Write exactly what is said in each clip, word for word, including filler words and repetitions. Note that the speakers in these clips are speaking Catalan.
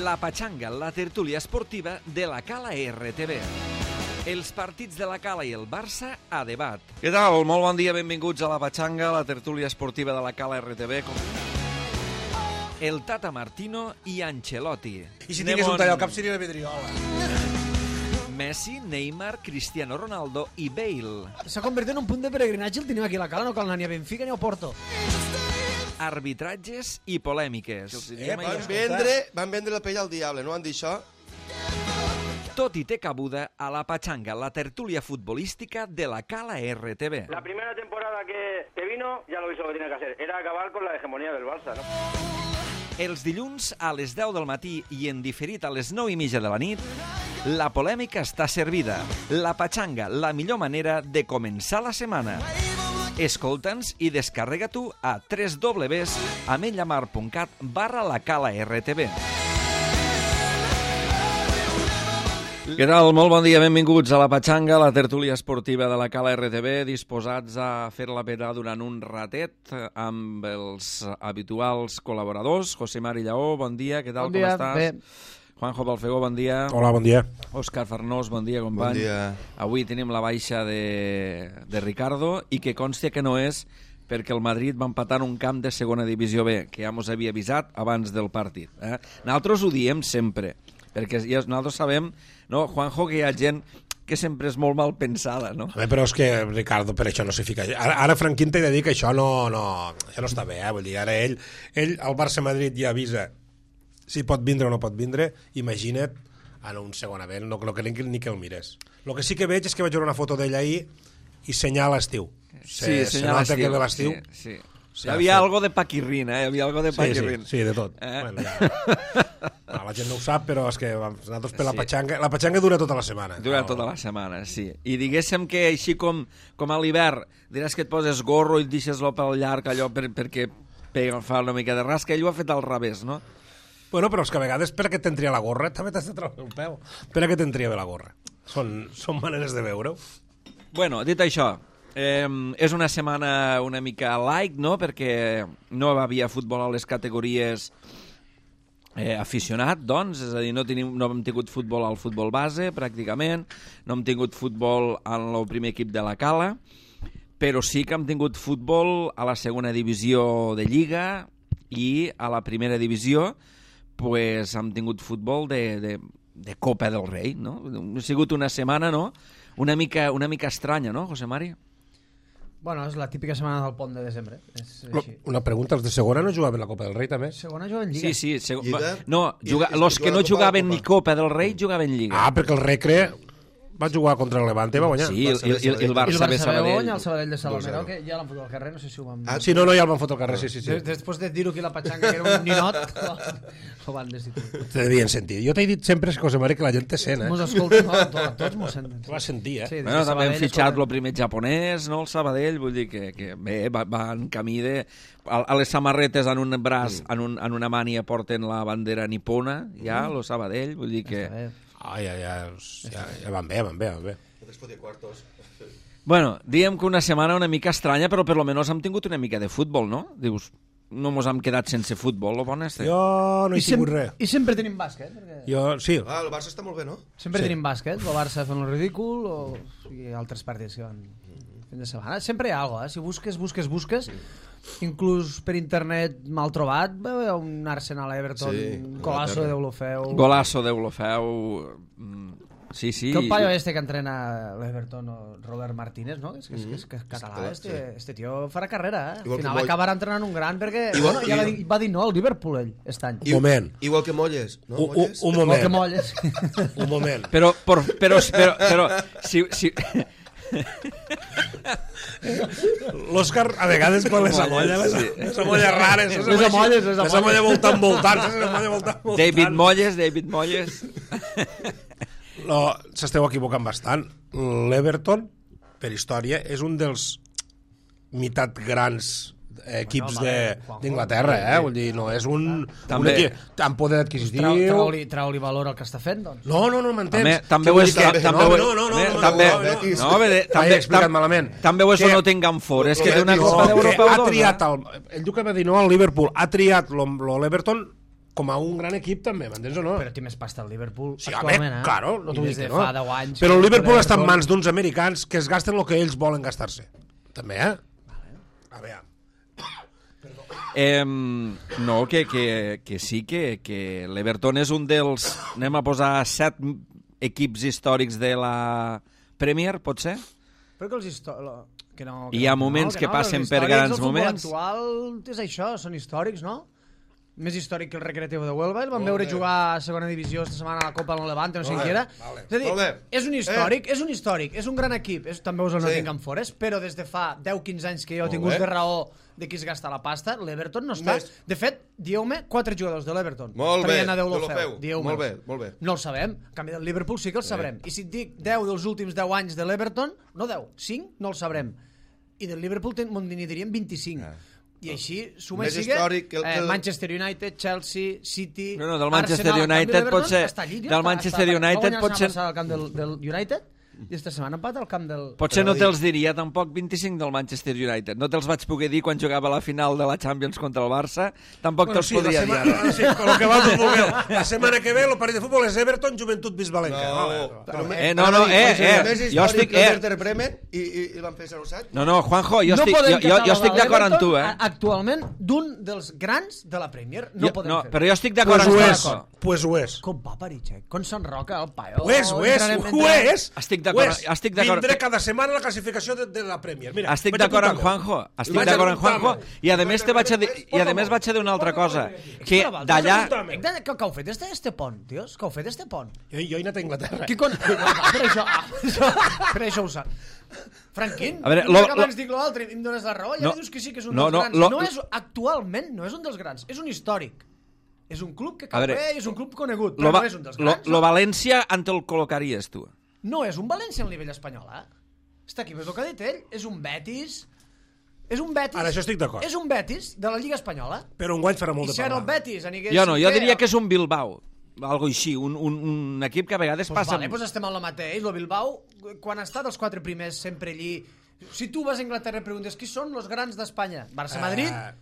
La Patxanga, la tertúlia esportiva de la Cala R T V. Els partits de la Cala i el Barça a debat. Què tal? Molt bon dia, benvinguts a La Patxanga, la tertúlia esportiva de la Cala R T V. El Tata Martino i Ancelotti. I si tingués un tall al cap seria la vidriola. Messi, Neymar, Cristiano Ronaldo i Bale. S'ha convertit en un punt de peregrinatge el tenim aquí a la Cala, no cal anar ni a Benfica ni a Porto. Arbitratges i polèmiques. Eh, van, vendre, van vendre la pell al diable, no van dir això? Tot i té cabuda a La Patxanga, la tertúlia futbolística de la Cala R T V. La primera temporada que, que vino ya lo hizo lo que tenía que hacer, era acabar con la hegemonía del Barça, ¿no? Els dilluns a les deu del matí i en diferit a les nou i mitja de la nit, la polèmica està servida. La Patxanga, la millor manera de començar la setmana. Escolta'ns i descarrega-t'ho a w w w punt ametlllamar punt cat barra la Cala R T V. Què tal? Molt bon dia, benvinguts a La Patxanga, la tertúlia esportiva de la Cala R T V, disposats a fer-la petar durant un ratet amb els habituals col·laboradors. José Mari Lleó, bon dia, què tal, bon dia, com estàs? Bé. Juanjo Balfegó, bon dia. Hola, bon dia. Òscar Farnós, bon dia, company. Bon dia. Avui tenim la baixa de, de Ricardo i que consti que no és perquè el Madrid va empatar un camp de segona divisió B, que ja mos havia avisat abans del partit. Eh? Nosaltres ho diem sempre, perquè ja nosaltres sabem, no, Juanjo, que hi ha gent que sempre és molt mal pensada, no? A veure, però és que Ricardo per això no s'hi fica. Ara, ara Franquín t'he de dir que això no, no, això no està bé, eh? Vull dir, ara ell, ell al Barça-Madrid ja avisa si pot vindre o no pot vindre, imagina't en un segon event, no, no crec ni que el mires. El que sí que veig és que vaig veure una foto d'ell ahir i senyala estiu. Sí, se, se nota que ve l'estiu. Sí, sí. Hi havia algo de paquirrina, eh? Hi havia algo de paquirrin. Sí, sí, sí, de tot. Eh? Bueno, ja. No, la gent no ho sap, però és que nosaltres per la Patxanga... La Patxanga dura tota la setmana. Dura no? tota la setmana, sí. I diguéssim que així com, com a l'hivern diràs que et poses gorro i et deixes el pèl llarg allò per, perquè pega, fa una mica de rasca, ell ho ha fet al revés, no? Bueno, però és que a vegades per a què t'entria la gorra també t'has de treure el peu. Per a què t'entria bé la gorra? Són, són maneres de veure-ho. Bueno, dit això, eh, és una setmana una mica light, no?, perquè no hi havia futbol a les categories eh, aficionat, doncs, és a dir, no, tenim, no hem tingut futbol al futbol base, pràcticament, no hem tingut futbol en el primer equip de la Cala, però sí que hem tingut futbol a la segona divisió de Lliga i a la primera divisió pues, hem tingut futbol de, de, de Copa del Rei, no? Ha sigut una setmana, no?, una mica, una mica estranya, no, José Mari? Bueno, és la típica setmana del pont de desembre. És així. Una pregunta, els de segona no jugaven la Copa del Rei, també? Segona juguen Lliga. Sí, sí. Seg... Lliga? No, juga... I, los que no jugaven ni Copa del Rei jugaven Lliga. Ah, perquè el Recre va jugar contra el Levante i va guanyar. Sí, el, el, el, el Barça, I el Barça ve va Sabadell. guanyar el Sabadell de Salamero, que ja l'han fotut al carrer, no sé si ho van... Ah, Sí, no, no, ja el van fotre al carrer, sí, sí, sí. Des, després de dir-ho aquí a la Patxanga, que era un ninot, ho van destituir. Te devien sentir. Jo t'he dit sempre, José Mari, que la gent te sent, eh? Mos escolta, no, tots, tots mos senten. Te va sentir, eh? Sí, des de Bueno, també hem Sabadell, fitxat escolta. el primer japonès, no, el Sabadell, vull dir que, que bé, va, va en camí de... A, a les samarretes en un braç, mm. en, un, en una mània porten la bandera nipona, ja, mm. el Sabadell, vull dir que... Ah, ja, ja, ja, ja van bé, van bé, van bé. Bueno, diem que una setmana una mica estranya, però per lo menos hem tingut una mica de futbol, no? Dius, no mos hem quedat sense futbol, lo bon este. Jo no he I, sem tingut res. I sempre tenim bàsquet, perquè... Jo, sí. Ah, el Barça està molt bé, no? Sempre Sí. tenim bàsquet, el Barça fent el ridícul o i altres partits que van fent de setmana. Sempre hi ha alguna cosa, eh? Si busques, busques, busques, inclús per internet mal trobat, veu un Arsenal-Everton, Sí, un golazo de Deulofeu... Golazo d'Eulofeu... mm, Sí, sí. Que el paio este que entrena l'Everton, Robert Martínez, no? És que és, que és, que és català, És este, català, sí. este tio farà carrera, eh? Al Igual que final Moll- acabarà entrenant un gran perquè... Igual- bueno, ja va i- dir, va dir no al Liverpool, ell, aquest any. Un moment. Igual que Molles, no? Un, un, Molles? un Igual que moment. Molles. Un moment. Però, però, però, però, però si, si... L'Òscar, a vegades, quan les amolla, les, Sí. les amolles rares, les Les amolles, les les amolla voltant, voltant, les amolla voltant, voltant. David Molles, David Molles... No, s'esteu equivocant bastant. L'Everton, per història, és un dels meitat grans equips Bueno, vale, de- Juanjo. d'Inglaterra, eh? Vull dir, no és un, També. un equip amb poder adquisitiu. Trau, trau-li trau valor al que està fent, doncs. No, no, no m'entens. També, també Què ho vull és... dir que- També, no, ho- no, no, no, eh, no, també, no, no, no, bé, també, M'he explicat tam- malament. També ho és Que- o no tinguem for. És que té una No, Copa que d'Europa ha o dos, triat eh? el, ell diu que va dir no al Liverpool, ha triat l'Everton com a un gran equip també, m'entens o no? Però té més pasta el Liverpool Sí, actualment, home, eh? claro, no I t'ho des dic de que no. fa deu anys... Però el que Liverpool està en Everton- mans d'uns americans que es gasten el que ells volen gastar-se. També, eh? A veure. Eh, no, que, que, que sí, que, que l'Everton és un dels... Anem a posar set equips històrics de la Premier, pot ser? Però que els histò... Que no, Hi ha no, moments que no, passen els per històrics, grans el futbol moments. actual és això, són històrics, no? Més històric que el Recreativo de Huelva. El van Molt veure bé. jugar a segona divisió esta setmana a la Copa al Levante, no sé Molt què bé, era. vale. És a dir, Molt bé. és un històric, és un històric, és un gran equip. És, també us el Sí. Nottingham Forest, però des de fa deu quinze anys que jo he Molt tingut bé. de raó de qui es gasta la pasta, l'Everton no està. Més. De fet, dieu-me quatre jugadors de l'Everton. Molt bé, traient a Déu tu lo lo feu. feu. Dieu-me'ls. Molt bé, molt bé. No el sabem. En canvi, del Liverpool sí que el sabrem. I si et dic deu dels últims deu anys de l'Everton, no deu, cinc no el sabrem. I del Liverpool ten- me'n diríem vint-i-cinc. Ah. I així suma Més sigue històric que el- eh, que el- Manchester United, Chelsea, City, No, no, del Manchester Arsenal. En canvi, United l'Everton pot ser- està allí, tio, del està- Manchester està- United va guanyar pot la ser- setmana passada al camp del, del United i esta setmana empat al camp del... Potser Però no dic- te'ls diria tampoc vint-i-cinc del Manchester United. No te'ls vaig poder dir quan jugava a la final de la Champions contra el Barça. Tampoc Bueno, te'ls sí, la podria dir setmana, ara. sí, con lo que va el futbol. La setmana que ve el partit de futbol és Everton, Joventut, Bisbalenca. No, però me- Eh, no, no, eh, eh, Més jo històric estic- que el eh. Werder Bremen i, i, i van fer zero set. No, no, Juanjo, jo no estic, podem jo, jo, jo catalogar estic d'acord amb tu, l'Everton eh? a- Actualment, d'un dels grans de la Premier, no Jo, podem no, fer. però jo estic d'acord Pues amb ho tu. és, pues ho és. Com va Parichek? Com s'enroca el paio? Ho és, ho és, Entrarem- ho entrarem- és. Estic d'acord, Ho és. estic d'acord. Vindré cada setmana a la classificació de, de la Premier. Mira, Estic vaig d'acord amb apuntar-me. Juanjo, estic Vaig d'acord amb Juanjo, apuntar-me. i a més te vaig a dir, i a Por més favor. vaig a dir una altra cosa, Espera, que va, d'allà... apunta'm. Què, què, què heu fet este, este pont, tios? Què heu fet este pont? Jo, jo he anat a Inglaterra. Qui con... Ah, per això, ah, per això ho sap. Franquín, A veure, jo lo- que abans dic l'altre i em dones la raó, ja No. no, dius que sí que és un No, dels no, grans. lo- No és, actualment no és un dels grans, és un històric. És un club que A cau veure, bé, és un club conegut, Lo, però va, no és un dels lo, grans. lo no? València on te'l col·locaries, tu? No és un València al nivell espanyol, eh? Està aquí, ves el que ha dit ell? És un Betis... És un Betis... Ara, això estic d'acord. És un Betis de la Lliga Espanyola. Però un guany farà molt I de si ara el parlar. Betis anigués... Jo no, jo cinquè, diria que és un Bilbao, algo així, un, un, un equip que a vegades Pues passa... vale, pues estem en el mateix. El Bilbao, quan està dels quatre primers sempre allí... Si tu vas a Inglaterra i preguntes qui són els grans d'Espanya? Barça-Madrid, Eh,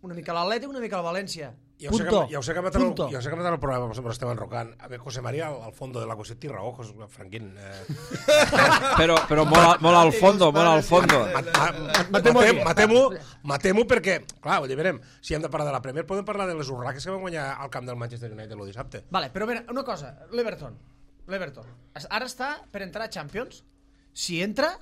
una mica l'Atleti, una mica el València. Ja ho sé que, Punto. ja ho sé que matarà el, Punto. ja ho sé que matarà el programa, però estem enrocant. A veure, José María, al, al fondo de la qüestió, té raó, José, Franquín. Eh, Però, però molt, al- molt al fondo, molt al fondo. Matem-ho aquí. Matem-ho matem perquè, clar, vull dir, verem, si hem de parlar de la Premier, podem parlar de les urraques que van guanyar al camp del Manchester United el dissabte. Vale, però mira, una cosa, l'Everton. L'Everton. Ara està per entrar a Champions. Si entra,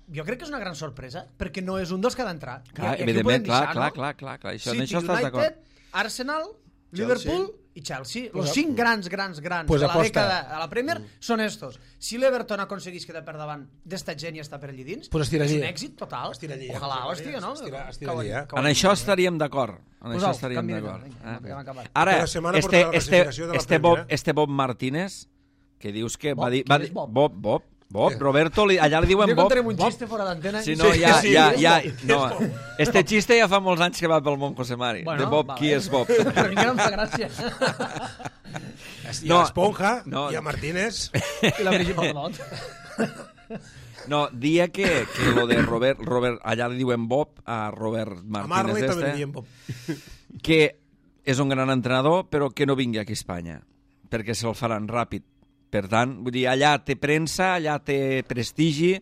jo crec que és una gran sorpresa, perquè no és un dels que ha d'entrar. I- Clar, i aquí ho podem evidentment, clar, deixar, clar, no? clar, clar, clar, això, en City, això estàs United, d'acord. Arsenal, Liverpool i Chelsea. Pues Los a- cinc grans, grans, grans pues de la aposta. dècada a la Premier són estos. Si l'Everton aconseguís quedar per davant d'esta gent i està per allí dins, Pues estira és allí. un èxit total. Estira allí, eh, Ojalà ho José estigui, María, no? estira- estira Que ho- allí, eh? que ho- En això estaríem d'acord. En Pues això au, estaríem canvia, d'acord. vinga, Ah, vinga, hem acabat. Ara, Cada setmana este, portarà la este, classificació de la este, Premier, Bob, eh? este Bob Martínez, que dius que Bob? va dir... Qui Va és dir Bob? Bob, Bob, Bob, Sí. Roberto, li, allà li diuen Jo Bob. contarem un xiste fora d'antena. Si no, Sí, ja, sí, ja, és ja, Bob, no. és Bob. Este xiste ja fa molts anys que va pel món, José Mari. Bueno, de Bob, va qui bé. és Bob? Però encara em fa gràcia. Hi No, ha Esponja, no. hi ha Martínez... I la Brigitte Bardot. No, dia que, que lo de Robert, Robert, allà li diuen Bob a Robert A Marley Martínez també li este, diem Bob. que és un gran entrenador, però que no vingui aquí a Espanya, perquè se'l faran ràpid. Per tant, vull dir, allà té premsa, allà té prestigi,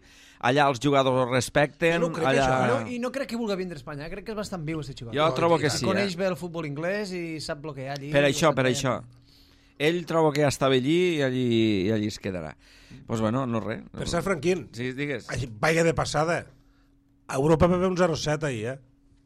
allà els jugadors el respecten, Jo no crec allà... això, No, I no crec que vulgui vindre a Espanya, crec que és bastant viu, aquest xicot. Jo trobo que i sí, Coneix eh? bé el futbol anglès i sap el que hi ha allí. Per això, Ho per sap això. bé. Ell trobo que ja estava allí i allí, i allí es quedarà. Doncs pues bueno, no res. Per cert, Franquín, Sí, digues. així, vaya de passada. A Europa va haver un zero set ahir, eh?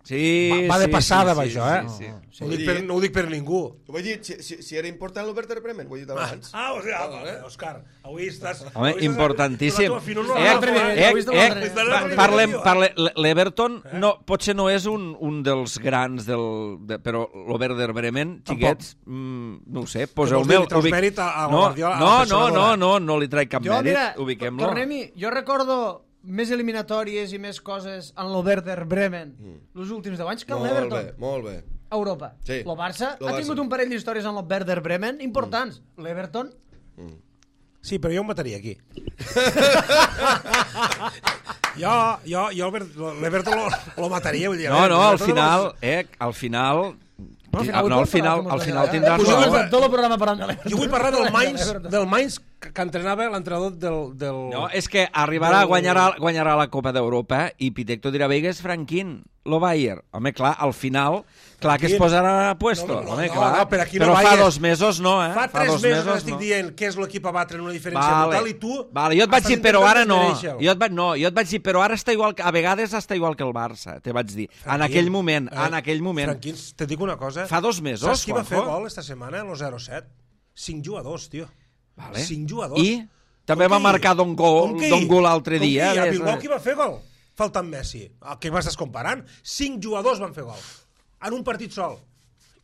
Sí, Va- va de sí, passada, sí, va, sí, això, eh? Sí, sí. No, ho dic per, no ho dic per ningú. Ho vaig dir, si, si, si era important el Werder Bremen, ho he dit abans. Ah, o sigui, ah, Òscar, avui estàs... Home, avui estàs- importantíssim. tu la tua finor no Eh, la l'altre agafo, nivell, eh, ho he vist a eh, l'altre nivell. pa- parlem, parle, l'Everton no, potser no és un, un dels grans del, de, però l'Overder Bremen, xiquets, mm, no ho sé, poseu-me... vols dir, li treus mèrit a- a no, Guardiola, a la no, no, persona no, d'ara? no, no li trec cap Jo, mèrit, mira, ubiquem-lo. tornem-hi. Jo recordo més eliminatòries i més coses en l'Overder Bremen els últims deu anys que en Molt bé, l'Everton. molt bé. A Europa. Sí. El Barça Lo ha Barça. tingut un parell d'històries en l'Overder Bremen importants. L'Everton... Sí, però jo ho mataria aquí. jo, jo, jo l'Everton lo, lo mataria, vull dir. a No, veure, no, al l'Everton final, no eh, al final, No, Ah, no, al final, al final tindràs Pues raó. jo tot el programa parlant de l'Everton. Jo vull parlar del Mainz, del Mainz que, que entrenava l'entrenador del, del... No, és que arribarà, guanyarà, guanyarà la Copa d'Europa i Pitecto dirà, veigues, Franquín, lo Bayern. Home, clar, al final, clar que es posarà a puesto. No, no, Home, no, clar. no, per aquí però no fa vayas. dos mesos no, eh? Fa tres dos mesos, mesos estic no. dient que és l'equip a batre en una diferència Vale, brutal i tu... vale, jo et vaig estàs dir, però ara no. desmereixer-lo. Jo et vaig, no, jo et vaig dir, però ara està igual, que- a vegades està igual que el Barça, te vaig dir. En Franquín, aquell moment, eh, en aquell moment. Franquín, te dic una cosa. Fa dos mesos, Saps qui va fer Juanjo? gol esta setmana, el zero set? Cinc jugadors, tio. Vale. Cinc jugadors. I també Com va que marcar i? Don Gol, Com que i? Don Gol l'altre Com dia. que i? A ves, Bilbao eh? qui va fer gol? Faltant Messi. A què m'estàs comparant? Cinc jugadors van fer gol. En un partit sol.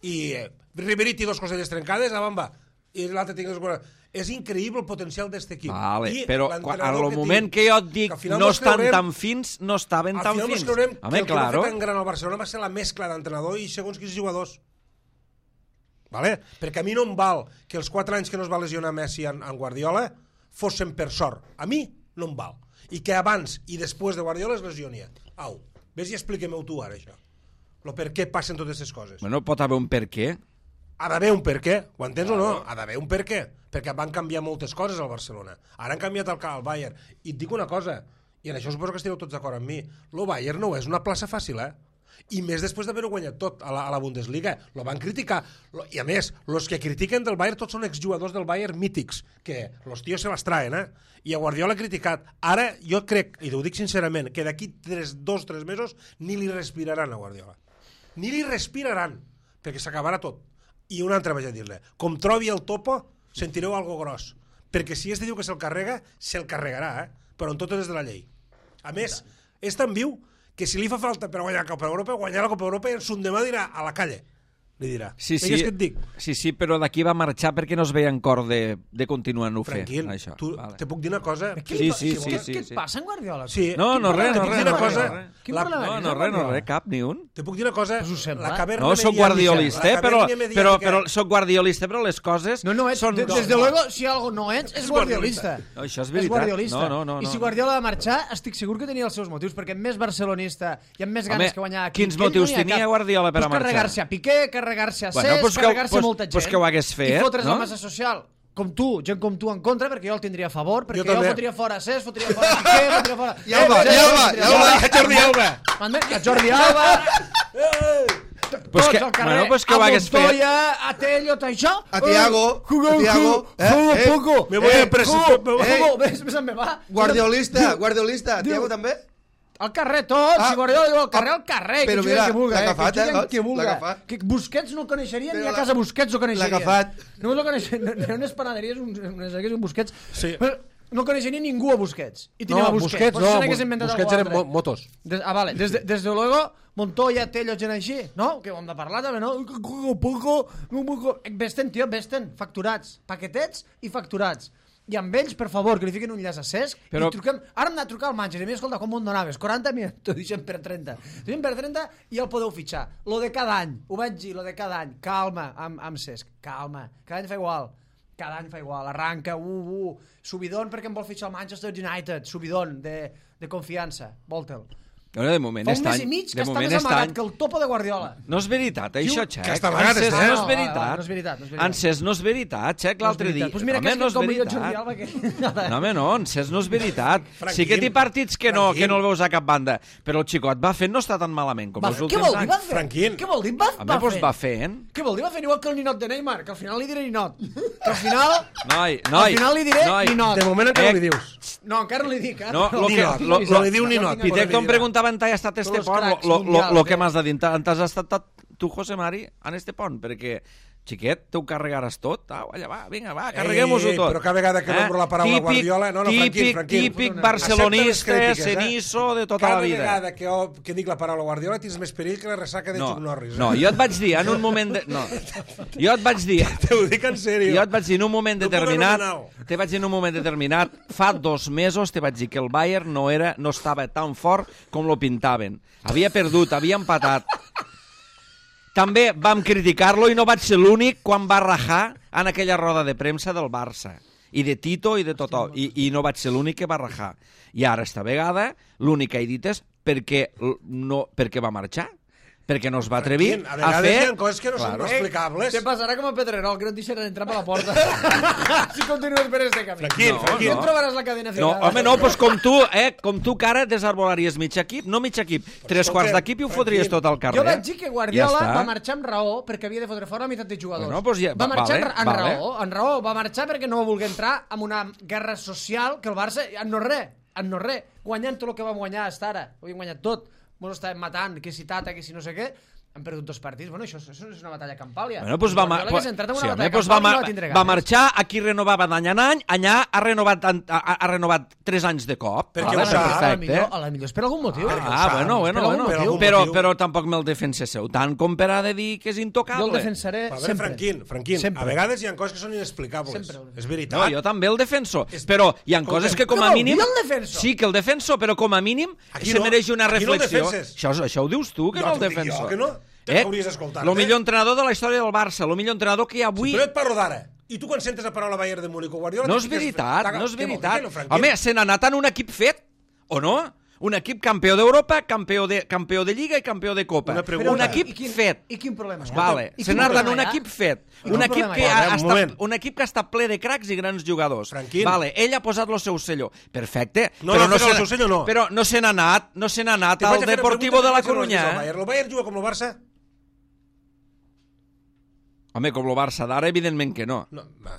I eh, Ribéry té dos coselles trencades, a bamba. I l'altre té dos coselles. És increïble el potencial d'aquest equip. Vale, I però quan, l'entrenador al moment que jo et dic que al final no mos estan creurem- tan fins, no estaven Al tan final fins. ens creurem Home, que el que va claro. fer tan gran al Barcelona va ser la mescla d'entrenador i segons quins jugadors. Vale? Perquè a mi no em val que els quatre anys que no es va lesionar Messi en, en Guardiola fossin per sort. A mi no em val. I que abans i després de Guardiola es lesionia. Au, ves i expliquem-ho tu ara, això. Lo per què passen totes aquestes coses. Bueno, pot haver un per què. Ha d'haver un per què, ho entens o no? Ha d'haver un per què, perquè van canviar moltes coses al Barcelona. Ara han canviat el, el Bayern. I et dic una cosa, i en això suposo que esteu tots d'acord amb mi, el Bayern no és una plaça fàcil, eh? I més després d'haver-ho guanyat tot a la, a la Bundesliga. Lo van criticar. Lo, I a més, els que critiquen del Bayern tots són exjugadors del Bayern mítics, que los tios se les traen, eh? I a Guardiola ha criticat. Ara jo crec, i ho dic sincerament, que d'aquí tres, dos o tres mesos ni li respiraran a Guardiola. Ni li respiraran, perquè s'acabarà tot. I una altra vaig a dir-li, com trobi el topo, sentireu algo gros. Perquè si este diu que se'l carrega, se'l carregarà, eh? Però en totes les de la llei. A més, és tan viu que si li fa falta per guanyar la Copa Europa, guanyar la Copa Europa i en son demà dirà a la calle. Li dirà. Sí, sí, Veus què et dic? sí, sí, però d'aquí va marxar perquè no es veia en cor de, de continuar-ho fer. Tranquil, Això. tu, Vale. te puc dir una cosa? Què, Sí, li- sí, què- sí, què, sí, què et sí. passa en Guardiola? Sí. No, no, Quin res, no, problema res, tens una no, amb cosa- Guardiola? Quin la- problema no, tens no, amb res, no, Guardiola? res, cap, ni un. Te puc dir una cosa? Pues ho sembla. La caverna No, soc mediàtica- guardiolista, la però, caverna però, mediàtica- però soc guardiolista, però les coses No, no, ets, són... de- desde luego, si algo no ets, és guardiolista. No, això és És veritat. guardiolista. No, no, no, I si no. Guardiola va marxar, estic segur que tenia els seus motius, perquè amb més barcelonista i amb més ganes Home, que guanyar aquí... quins que ell motius no n'hi ha tenia cap. Guardiola per a pues marxar? carregar-se a Piqué, carregar-se a Bueno, Cesc, pues que- carregar-se pues- molta gent. pues que ho hagués fet, I fotre's no? la massa social. Com tu, gent com tu en contra, perquè jo el tindria a favor, perquè Jo jo, també. fotria fora Cesc, fotria fora Piqué, fotria fora... Ja ho va, Eh, ja ho va, fotria ja ho fora- va. a Jordi Alba. M'entens? A Jordi Alba... Pues tots que- al carrer, bueno, pues que ho a hagués fet. Montoya, a Tello, tot això... A Thiago, Eh, jugo, a Thiago, jugo, eh, jugo eh, poco. Me voy a Eh, presentar- jugo, eh. jugo, ves, ves on me va. Guardiolista, Diu- guardiolista. diu- Tiago també? Al carrer tots, Ah, si Guardiola diu al carrer, ah, al carrer, però que mira, jugui qui vulga, l'ha eh, agafat, que jugui eh, amb qui l'ha vulga. agafat. Que Busquets no el coneixerien, Però ni a l'ha- casa Busquets ho coneixerien. l'ha agafat. Només el coneixerien, n'hi ha unes panaderies, uns, unes hagués un Busquets, Sí. però no coneixerien ningú a Busquets. I tenim No, a Busquets. Busquets Pues no, se n'hagués inventat Busquets algú eren altre. mo- motos. Des, ah, vale. Des de, des de luego, Montoya, Tello, gent així, no? Que ho hem de parlar també, no? Poco, poco, poco. Vesten, tio, vesten, facturats. Paquetets i facturats. I amb ells, per favor, que li fiquin un llaç a Cesc Però- i truquem... Ara hem anat a trucar al Manchester i m'he escolta, com m'ho donaves? quaranta mil? T'ho deixem per trenta. T'ho deixem per trenta i el podeu fitxar. Lo de cada any, ho vaig dir, lo de cada any. Calma, amb, amb Cesc, calma. Cada any fa igual. Cada any fa igual. Arranca, uh, uh. Subidon perquè em vol fitxar el Manchester United. Subidon de, de confiança. Volte'l. Bueno, de moment Fa un està mes i mig que de està moment més amagat està que el topo de Guardiola. No és veritat, això, Diu Xec. que està amagat, Encès, està. no Ah, és no, veritat. no és veritat, no és veritat. Encès, no és veritat, Xec, l'altre dia. Pues mira, Home, que és no que és com millor Jordi veritat. Alba que... No, home, no, encès no és veritat. Franquín, Sí que té partits que no, Franquín. que no el veus a cap banda, però el xicot va fent no està tan malament com Va, els què últims vol dir? anys. Va fent? Franquín. Què vol dir? Va, Home, va doncs fent? va fent. Què vol dir? Va fent igual que el ninot de Neymar, que al final li diré ninot. Que al final... Noi, noi. Al final li diré noi. ninot. De moment encara Eh, no li dius. No, encara no li dic. Eh? No, lo que, Ninot. lo, Se lo, li diu ninot. Pitecto em preguntava on ha estat este Tots pont, cracs lo, lo, lo, mundials, lo que eh? m'has de dir. On t'has estat tu, José Mari, en este pont? Perquè, xiquet, te ho carregaràs tot. Au, allà va, vinga, va, carreguem-ho-ho Ei, tot. però cada vegada que nombro la paraula Guardiola- no, no, típic, Franquín, Franquín. típic Accepta les barcelonista, crítiques, eh? cenizo de tota Cada la vida. vegada que, jo, que dic la paraula Guardiola tens més perill que la ressaca de No, Chuck Norris. Eh? no, jo et vaig dir en un moment... De... No, jo et vaig dir... Te ho dic en sèrio. Jo et vaig dir en un moment No puc determinat, anomenar-ho. te vaig dir en un moment determinat, fa dos mesos te vaig dir que el Bayern no era no estava tan fort com lo pintaven. Havia perdut, havia empatat. També vam criticar-lo i no vaig ser l'únic quan va rajar en aquella roda de premsa del Barça. I de Tito i de tothom. I, i no vaig ser l'únic que va rajar. I ara, esta vegada, l'únic que he dit és perquè, l- no, perquè va marxar. perquè no es va atrevir Franquín, a, a vegades fer... hi ha coses que no són explicables. Te passarà com a Pedrerol, que no et deixen entrar per la porta. Si continues per este camí. Franquín, No, Franquín. No trobaràs la cadena No, ficada. home, no, doncs com tu, eh, com tu que ara desarbolaries mig equip, no mig equip, tres quarts d'equip i ho fotries tot al carrer. Jo vaig dir que Guardiola Ja està. va marxar amb raó perquè havia de fotre fora la meitat de jugadors. Bueno, doncs ja- va marxar vale, amb vale. raó, amb raó. Va marxar perquè no va voler entrar en una guerra social que el Barça, en no res, en no res, guanyant tot el que vam guanyar fins ara. Ho havíem guanyat tot. Ens estàvem matant, que si Tata, que si no sé què. Han perdut dos partits. Bueno, això, això és una batalla campal, ja. Bueno, pues va, ma Guardiola hagués entrat en una sí, batalla home, pues va, campal i ma no va tindre va ganes. marxar, aquí renovava d'any en any, allà ha renovat, ha, ha renovat tres anys de cop. Perquè Vale, ho sap. A la perfecte. millor, a la millor és per algun motiu. perquè ho Ah, sap. bueno, bueno, Per algun bueno. motiu. Però, motiu. però tampoc me'l defenseu tant com per a de dir que és intocable. Jo el defensaré A veure, sempre. Franquín, Franquín, Sempre. a vegades hi ha coses que són inexplicables. Sempre. És veritat. No, jo també el defenso, És- però hi ha Escolta'm, coses que com què a vol mínim... dir el defenso? Sí, que el defenso, però com a mínim Aquí se no. mereix una Aquí no el reflexió. defenses. Això, això ho dius tu, que Jo no el t'ho dic defenso. jo, que no. Te hauries escoltat, El eh? millor entrenador de la història del Barça, el millor entrenador que hi ha avui... Però jo et parlo d'ara. I tu quan sentes la paraula Bayern de Múnich o Guardiola... No t'hi és fiques- veritat, t'aga- no és què vol dir, veritat. no, Franquín? Home, se n'ha anat en un equip fet, o no? Un equip campió d'Europa, campió de, campió de Lliga i campió de Copa. Una pregunta. Un equip I quin, fet. I quin problema hi ha? Vale, I se quin n'ha anat en problema un hi ha? equip fet. I Un quin equip, problema que hi ha? ha, Un estat, moment. un equip que ha estat ple de cracs i grans jugadors. Franquín. Vale, ell ha posat el seu sello. Perfecte. No, però no, no però el se seu sello no. Però no se n'ha anat, no se n'ha anat Te vaig al a fer una Deportivo pregunta de la que no has vist Coruña. al Bayern. El Bayern juga com el Barça? Home, com el Barça d'ara, evidentment que no. No, va.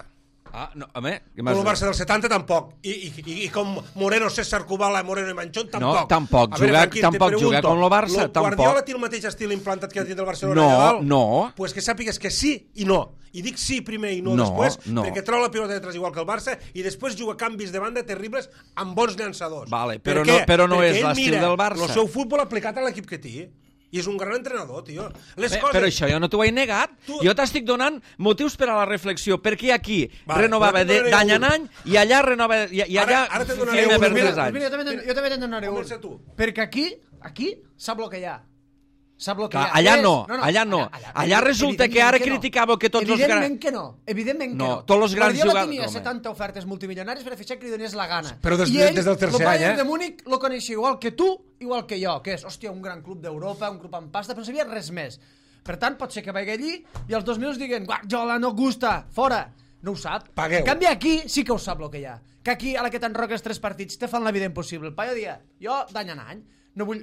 Ah, no, home, què Com m'has el dit? Barça del setanta tampoc. I, i, i, i com Moreno, César Kubala, Moreno i Manchón tampoc. No, tampoc. A veure, Jugar- Franquín, tampoc te pregunto, jugar com el Barça, lo- tampoc. Guardiola té el mateix estil implantat que ha tingut el Barcelona No, allà dalt? no. Pues que sàpigues que sí i no. I dic sí primer i no, No, després, no. perquè treu la pilota de tres igual que el Barça i després juga canvis de banda terribles amb bons llançadors. Vale, Per però què? no- però no Perquè és ell l'estil mira del Barça. el seu futbol aplicat a l'equip que té. I és un gran entrenador, tio. Les Bé, coses... Però això jo no t'ho he negat. Tu- Jo t'estic donant motius per a la reflexió. Perquè aquí Vale, renovava però de- te'n donaré d'any en un. any i allà renova i, i Ara- allà ara te'n donaré firma un. per Mira, tres Doncs anys. mira, jo també, jo també te'n donaré un. Comença tu. Perquè aquí, aquí, sap el que hi ha. Sap el que Clar, hi ha. allà És- no, allà no. Allà resulta que ara evidentment criticàveu que tots els Evidentment grans- que no, evidentment que No, no. tots els grans Guardiola jugadors- tenia home. setanta ofertes multimilionàries per a fitxar que li donés la gana. Però des- I ell, des del tercer el Bayern any, eh? de Múnich lo coneixia igual que tu, igual que jo, que és, hòstia, un gran club d'Europa, un club amb pasta, però no sabia res més. Per tant, pot ser que vagi allí i els dos minuts diguen Guardiola no gusta, fora. No ho sap. Pagueu. En canvi, aquí sí que ho sap el que hi ha. Que aquí, a la que t'enroques tres partits, te fan la vida impossible. El paio dia, jo d'any en any no vull,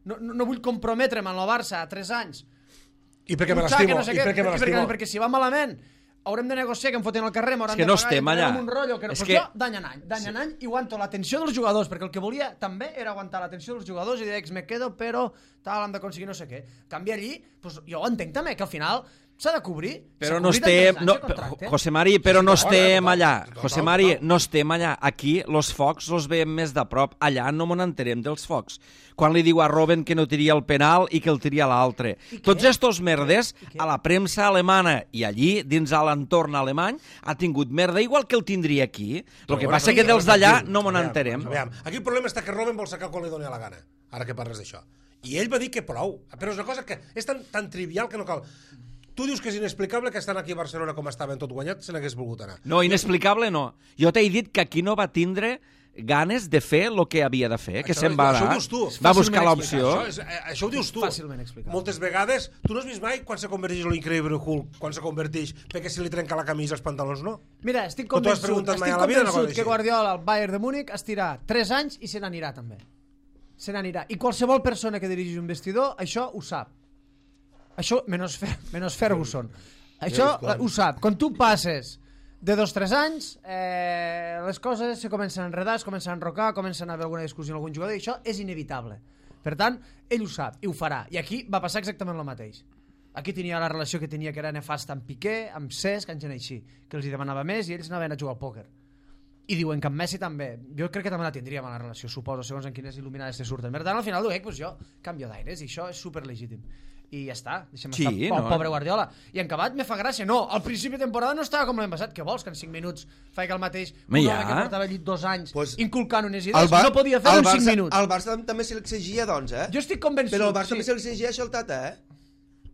no, no, no vull comprometre'm en el Barça a tres anys. I perquè me Butxaca, l'estimo. no sé I què, perquè me perquè, l'estimo. perquè si va malament haurem de negociar que em foten al carrer, m'hauran És que de no pagar, estem i entrarem allà. en un rotllo, que no. És Pues que- jo, d'any en any, d'any en any, i aguanto l'atenció dels jugadors, perquè el que volia també era aguantar l'atenció dels jugadors i dir, ex, me quedo, però tal, hem d'aconseguir no sé què. Canvia allí, pues, jo ho entenc també, que al final s'ha de cobrir. Però S'ha no cobrit en estem... tres anys No, de contracte. José Mari, però no estem allà. total, José total. Mari, no estem allà. Aquí los focs els veiem més de prop. Allà no me n'enterem dels focs. Quan li diu a Robben que no tiria el penal i que el tiria l'altre. Tots estos merdes, a la premsa alemana i allí, dins a l'entorn alemany, ha tingut merda igual que el tindria aquí. El que passa que dels d'allà no me n'enterem. Aviam, aquí el problema està que Robben vol sacar quan li doni la gana, ara que parles d'això. I ell va dir que prou, però és una cosa que és tan, tan trivial que no cal. Tu dius que és inexplicable que estan aquí a Barcelona com estaven tot guanyat, se n'hagués volgut anar. No, inexplicable no. Jo t'he dit que aquí no va tindre ganes de fer el que havia de fer, que Això- se'n va això ho anar. dius tu. Va Fàcilment buscar explicat. l'opció. Això, és, eh, això ho dius tu. Fàcilment explicable. Moltes vegades, tu no has vist mai quan se converteix l'increïble Hulk, quan se converteix, perquè si li trenca la camisa els pantalons, no? Mira, estic O tu has convençut, preguntat mai estic a la vida una convençut cosa que així? Guardiola al Bayern de Múnich estirà tres anys i se n'anirà també. Se n'anirà. I qualsevol persona que dirigeix un vestidor, això ho sap. Això, menys, Fer, menys Ferguson. Això clar. ho sap. Quan tu passes de dos o tres anys, eh, les coses se comencen a enredar, es comencen a enrocar, comencen a haver alguna discussió amb algun jugador, i això és inevitable. Per tant, ell ho sap, i ho farà. I aquí va passar exactament el mateix. Aquí tenia la relació que tenia, que era nefasta amb Piqué, amb Cesc, amb gent així, que els hi demanava més i ells anaven a jugar al pòquer. I diuen que amb Messi també. Jo crec que també la tindríem a la relació, suposo, segons en quines il·luminades se surten. Per tant, al final ho dic, pues jo canvio d'aires i això és superlegítim. I ja està, deixem Sí, estar no? el pobre Guardiola. I en acabat me fa gràcia. No, al principi de temporada no estava com l'any passat. Què vols, que en cinc minuts faig el mateix? Home, Un ja. home que portava allí dos anys Pues, inculcant unes El idees, Bar- no podia fer el en cinc Barça- minuts. El Barça també se l'exigia, doncs, eh? Jo estic convençut. Però el Barça sí. també se l'exigia això al Tata, eh?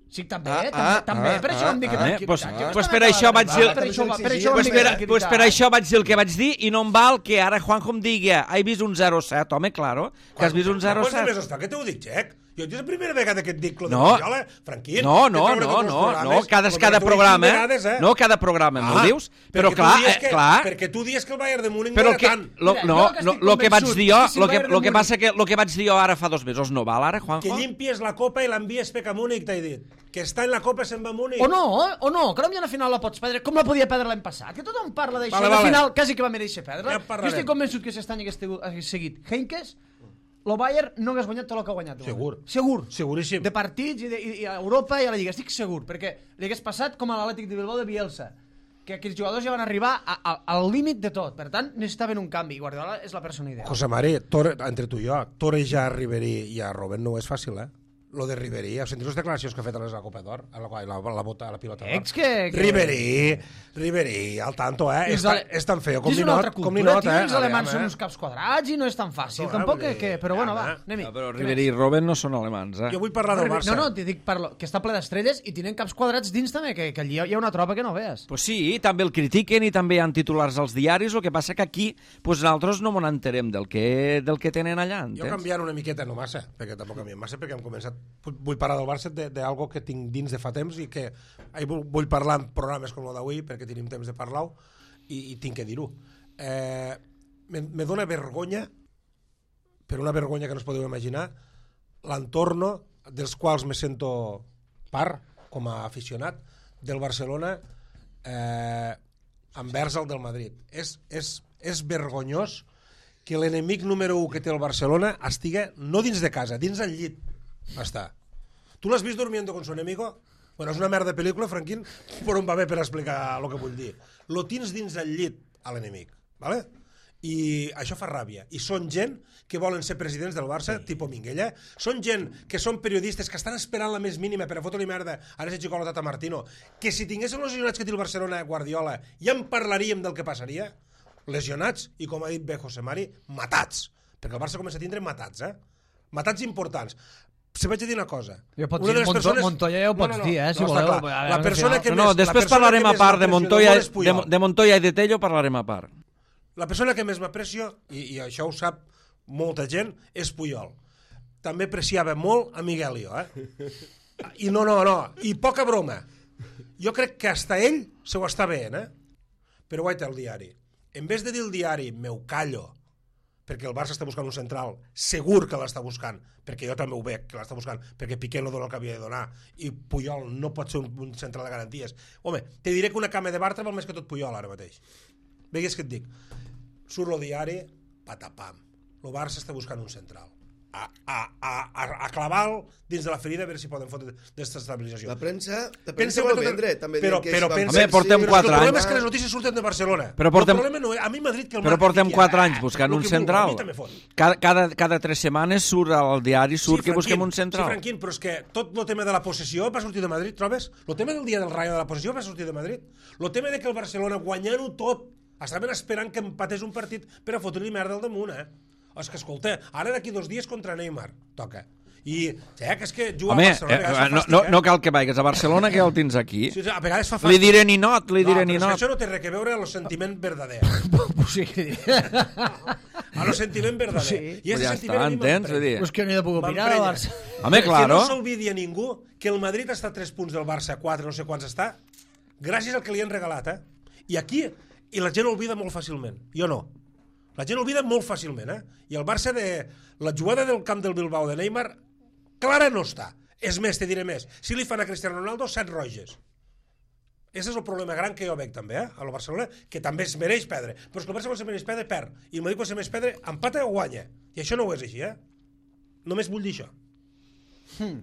Sí, també, Ah, també, ah, també. ah, per això ah, em dic que... ah. que- Eh, pues- que- pues que- per això vaig dir- Per això, per això Pues em per, dic que- pues per això vaig dir el que vaig dir i no em val que ara Juanjo em digui he vist un zero set, home, claro, que has vist un zero Quants set. mesos fa que t'ho dic, Xec? Jo és la primera vegada que et dic lo de No. Guardiola, Franquín. No, no, que treure no, tots els no, programes, no, cada, lo cada gratuït programa, cinc vegades, eh? no, cada programa, Ah, m'ho dius, però perquè tu clar, dius eh, que, clar, perquè tu dius que el Bayern de Múnich però no que, era tant. lo, Mira, no, jo que no, estic lo que vaig convençut dir jo, que si el lo que, Bayern de lo que Múnich- passa que lo que vaig dir jo ara fa dos mesos no val ara, Que Juanjo? llimpies la copa i l'envies pec a Múnich, t'he dit. Que està en la copa se'n va a Múnich. O no, o no, que potser la final la pots perdre com la podia perdre l'any passat, que tothom parla d'això, Vale, la vale. final quasi que va mereixer perdre. Ja Jo parlarem. estic convençut que si aquest any hagués tingut- hagués seguit Heinkes, el Bayern no hagués guanyat tot el que ha guanyat. Segur. Segur. Seguríssim. De partits i, de, i, i a Europa i a la Lliga, estic segur, perquè li hagués passat com a l'Atlètic de Bilbao de Bielsa, que aquells jugadors ja van arribar a, a, al límit de tot, per tant necessitaven un canvi, i Guardiola és la persona ideal. José Mari, tore, entre tu i jo, torejar a Ribery i a Robben no és fàcil, eh? Lo de Ribery, has sentit les declaracions que ha fet a la Copa d'Or? A la, la, la, bota, a la pilota d'or? Ex que... que... Ribery, Ribery, al tanto, eh? És, Els tan, ale- és tan feo com És ni una not, altra com ni cultura, not, tio, eh? els alemans Aviam, són eh? uns caps quadrats i no és tan fàcil, No, tampoc vull que... dir, que però bueno, ja, va, eh? anem-hi. Ah, però Què Ribery i més? Robben no són alemans, eh? Jo vull parlar del Barça. No, no, t'hi dic parlo, que està ple d'estrelles i tenen caps quadrats dins també, que, que allí hi ha una tropa que no veus. Pues sí, també el critiquen i també hi ha titulars als diaris, el que passa que aquí pues, nosaltres no m'en enterem del que, del que tenen allà, Jo entens? canviant una miqueta, no massa, perquè tampoc canviem massa, perquè hem començat... Vull parlar del Barça d'algo que tinc dins de fa temps i que eh, vull parlar en programes com el d'avui, perquè tenim temps de parlar-ho, i, i tinc que dir-ho. Eh, me, me dóna vergonya, per una vergonya que no es podeu imaginar, l'entorno dels quals me sento part, com a aficionat, del Barcelona eh, envers el del Madrid. És, és, és vergonyós que l'enemic número u que té el Barcelona estiga no dins de casa, dins del llit està. Tu l'has vist Durmiendo con su enemigo? Bueno, és una merda de pel·lícula, Franquín, però em va bé per explicar el que vull dir. Lo tens dins del llit, a l'enemic, ¿vale? I això fa ràbia. I són gent que volen ser presidents del Barça, sí. Tipo Minguella. Són gent que són periodistes que estan esperant la més mínima per a fotre-li merda a ese xico a la Tata Martino, que si tinguéssim els lesionats que té el Barcelona Guardiola ja en parlaríem del que passaria. Lesionats i, com ha dit bé José Mari, matats. Perquè el Barça comença a tindre matats, eh? Matats importants. Se vaig a dir una cosa. Jo pots Una dir, de les Monto- persones... Montoya ja ho pots dir, eh, si està voleu. clar. A veure, La al persona final- que No, més, no, la després persona parlarem que a més part de m'aprecio Montoya, molt és de, Puyol. de Montoya i de Tello parlarem a part. La persona que més m'aprecio, i, i això ho sap molta gent, és Puyol. També apreciava molt a Miguelio, eh? I no, no, no, i poca broma. Jo crec que hasta ell se ho està veient, eh? Però guaita el diari. En vez de dir el diari, meu callo, perquè el Barça està buscant un central, segur que l'està buscant, perquè jo també ho veig que l'està buscant, perquè Piqué no dona el que havia de donar, i Puyol no pot ser un, un central de garanties. Home, te diré que una cama de Bartra val més que tot Puyol ara mateix. Vegues que et dic. Surt el diari, patapam. El Barça està buscant un central. A, a, a, a clavar-lo dins de la ferida a veure si poden fotre desestabilització. La premsa, la Pensa premsa ho que- vendre, també però- diuen que però es van pensa- fer- Home, portem sí, Però quatre el problema anys. és que les notícies surten de Barcelona. Però portem- El problema no és... A mi Madrid que el Però marca portem fiqui, quatre eh, anys buscant lo un que vulgui, central. a mi també fot. Cada, cada, cada tres setmanes surt al diari, surt que Franquín, busquem un central. Sí, Franquín, però és que tot el tema de la possessió va sortir de Madrid, trobes? El tema del dia del Rayo de la possessió va sortir de Madrid. El tema de que el Barcelona, guanyant-ho tot, estaven esperant que empatés un partit per a fotre-li merda al damunt, eh? És que, escolta, ara d'aquí dos dies contra Neymar, toca. I, ja, que és que jugar Home, a Barcelona... eh, a vegades fa no, fàstic, no, eh? no cal que vagis a Barcelona, que el tens aquí. Sí, sí, a vegades fa fàstic. Li diré ninot, li diré no, però és que ninot. això no té res que veure amb el sentiment verdader. Sí. A lo sentiment verdader. Sí. I ese Ja sentiment està, a mi entens? m'emprenya. Vull dir, Pues que no hi ha de poder opinar del Barça. Home, claro. Que no s'olvidi a ningú que el Madrid està a tres punts del Barça, a quatre, no sé quants està, gràcies al que li han regalat, eh? I aquí, i la gent olvida molt fàcilment. Jo no. La gent olvida molt fàcilment, eh? I el Barça de... La jugada del camp del Bilbao de Neymar, clara no està. És més, te diré més. Si li fan a Cristiano Ronaldo, set roges. Ese és el problema gran que jo veig també, eh? A la Barcelona, que també es mereix perdre. Però és que el Barça quan se mereix perdre, perd. I el Madrid quan se mereix perdre, empata o guanya. I això no ho és així, eh? Només vull dir això. Hmm.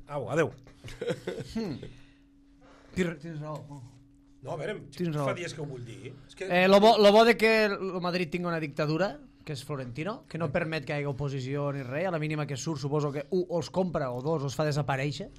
Au, adeu. Tens tens raó. No, a veure, Tens raó. fa dies que ho vull dir. És que... Eh, lo, bo, lo bo de que el Madrid tingui una dictadura, que és Florentino, que no permet que hi hagi oposició ni res, a la mínima que surt suposo que un els compra o dos els fa desaparèixer,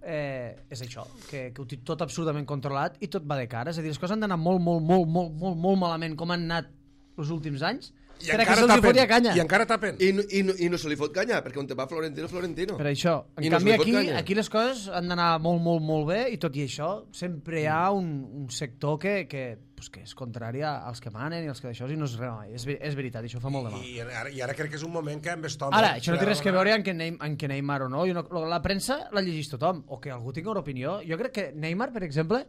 eh, és això, que, que ho té tot absolutament controlat i tot va de cara, és a dir, les coses han d'anar molt, molt, molt, molt, molt, molt malament com han anat els últims anys, I per a que encara se'ls hi tapen. fotia canya. I encara tapen. I, no- i, no- I no se li fot canya, perquè on te va Florentino, Florentino. Per això, en I no se canvi li pot aquí, canya. aquí les coses han d'anar molt, molt, molt bé i tot i això sempre hi ha un, un sector que, que pues que és contrària als que manen i als que d'això, i no és res mai. És, és veritat, això fa molt de mal. I, ara, I ara crec que és un moment que amb Estom... Ara, això no té res que veure en que, Neymar, en que Neymar o no. no. La premsa la llegeix tothom, o que algú tingui una opinió. Jo crec que Neymar, per exemple,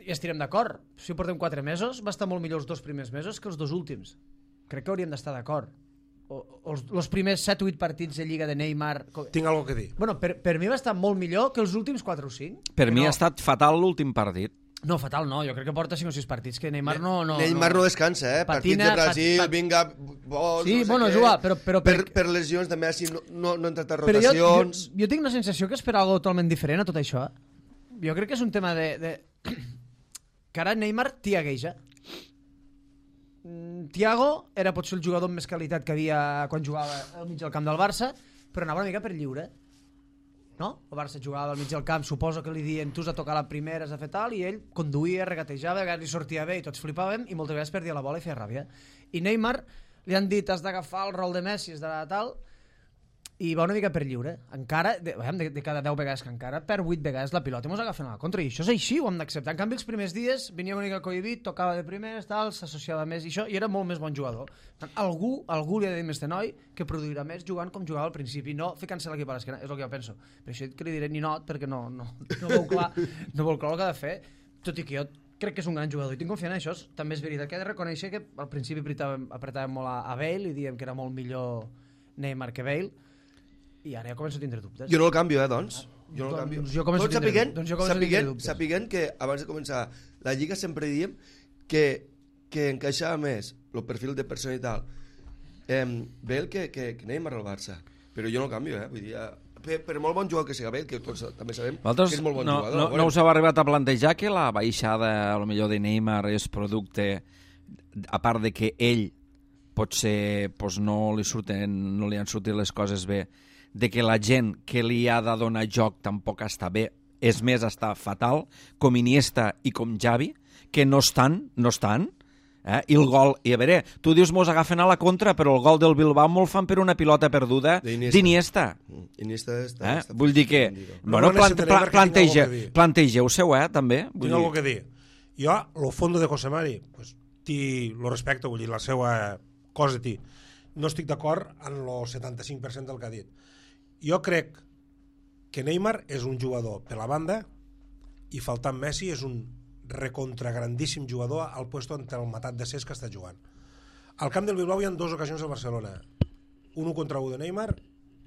i estirem d'acord, si portem quatre mesos, va estar molt millor els dos primers mesos que els dos últims. Crec que hauríem d'estar d'acord. O, els, els primers set o vuit partits de Lliga de Neymar... Tinc alguna cosa a dir. Bueno, per, per mi va estar molt millor que els últims quatre o cinc. Per mi no. ha estat fatal l'últim partit. No, fatal no, jo crec que porta cinc o sis partits que Neymar no... no Neymar no, no descansa, eh? Patina, Partits de Brasil, pat, pat... vinga... Bols, sí, no sé bueno, què. juga, però... però per, per, per lesions de Messi no, no, no han tratat però jo, rotacions... jo, jo tinc la sensació que és per algo totalment diferent a tot això. Jo crec que és un tema de... de... que ara Neymar tiagueja. Thiago era potser el jugador amb més qualitat que havia quan jugava al mig del camp del Barça, però anava una mica per lliure. No? El Barça jugava al mig del camp, suposo que li diuen tu has de tocar la primera, has de fer tal, i ell conduïa, regatejava, a vegades li sortia bé i tots flipàvem, i moltes vegades perdia la bola i feia ràbia. I Neymar li han dit has d'agafar el rol de Messi, has de tal, i va una mica per lliure. Encara, de, de, de cada deu vegades que encara, per vuit vegades la pilota i mos agafen a la contra, i això és així, ho hem d'acceptar. En canvi, els primers dies venia una mica cohibit, tocava de primers, tal, s'associava més i això, i era molt més bon jugador. Algú, algú li ha de dir més de noi que produirà més jugant com jugava al principi, no ficant-se l'equip a l'esquena, és el que jo penso. Per això que li diré ninot, perquè no, no, no veu clar, no veu clar el que ha de fer, tot i que jo crec que és un gran jugador i tinc confiança en això. També és veritat que he de reconèixer que al principi apretàvem, apretàvem molt a, a Bale i diem que era molt millor Neymar que Bale, i ara ja començo a tindre dubtes. Jo no el canvio, eh, doncs. Jo no el Doncs canvio. jo començo Tots a tindre- sapiguent, doncs jo començo a tindre sapiguent, dubtes. sapiguent que abans de començar la Lliga sempre diem que, que encaixava més el perfil de persona i tal eh, Bale que, que, que Neymar al Barça. Però jo no el canvio, eh. Vull dir, per, per molt bon jugador que sigui Bale, que tots també sabem Vosaltres que és molt bon no, jugador. no, no us heu arribat a plantejar que la baixada, a lo millor, de Neymar és producte, a part de que ell potser pues, no, li surten, no li han sortit les coses bé, de que la gent que li ha de donar joc tampoc està bé, és més, està fatal, com Iniesta i com Xavi, que no estan, no estan, eh? I el gol, i a veure, tu dius mos agafen a la contra, però el gol del Bilbao me'l fan per una pilota perduda d'Iniesta. Iniesta està... Eh? està Vull dir que, No, bueno, no plant, necessitaré pla, perquè tinc plantege, alguna cosa a dir. plantegeu-seu, eh, també. Vull Tinc dir, alguna cosa a dir. Jo, lo fondo de José Mari, pues, ti lo respecto, vull dir, la seva cosa de ti. No estic d'acord en el setanta-cinc per cent del que ha dit. Jo crec que Neymar és un jugador per la banda i faltant Messi és un recontra grandíssim jugador al puesto entre el matat de Cesc que està jugant. Al camp del Bilbao hi ha dues ocasions al Barcelona. Un contra un de Neymar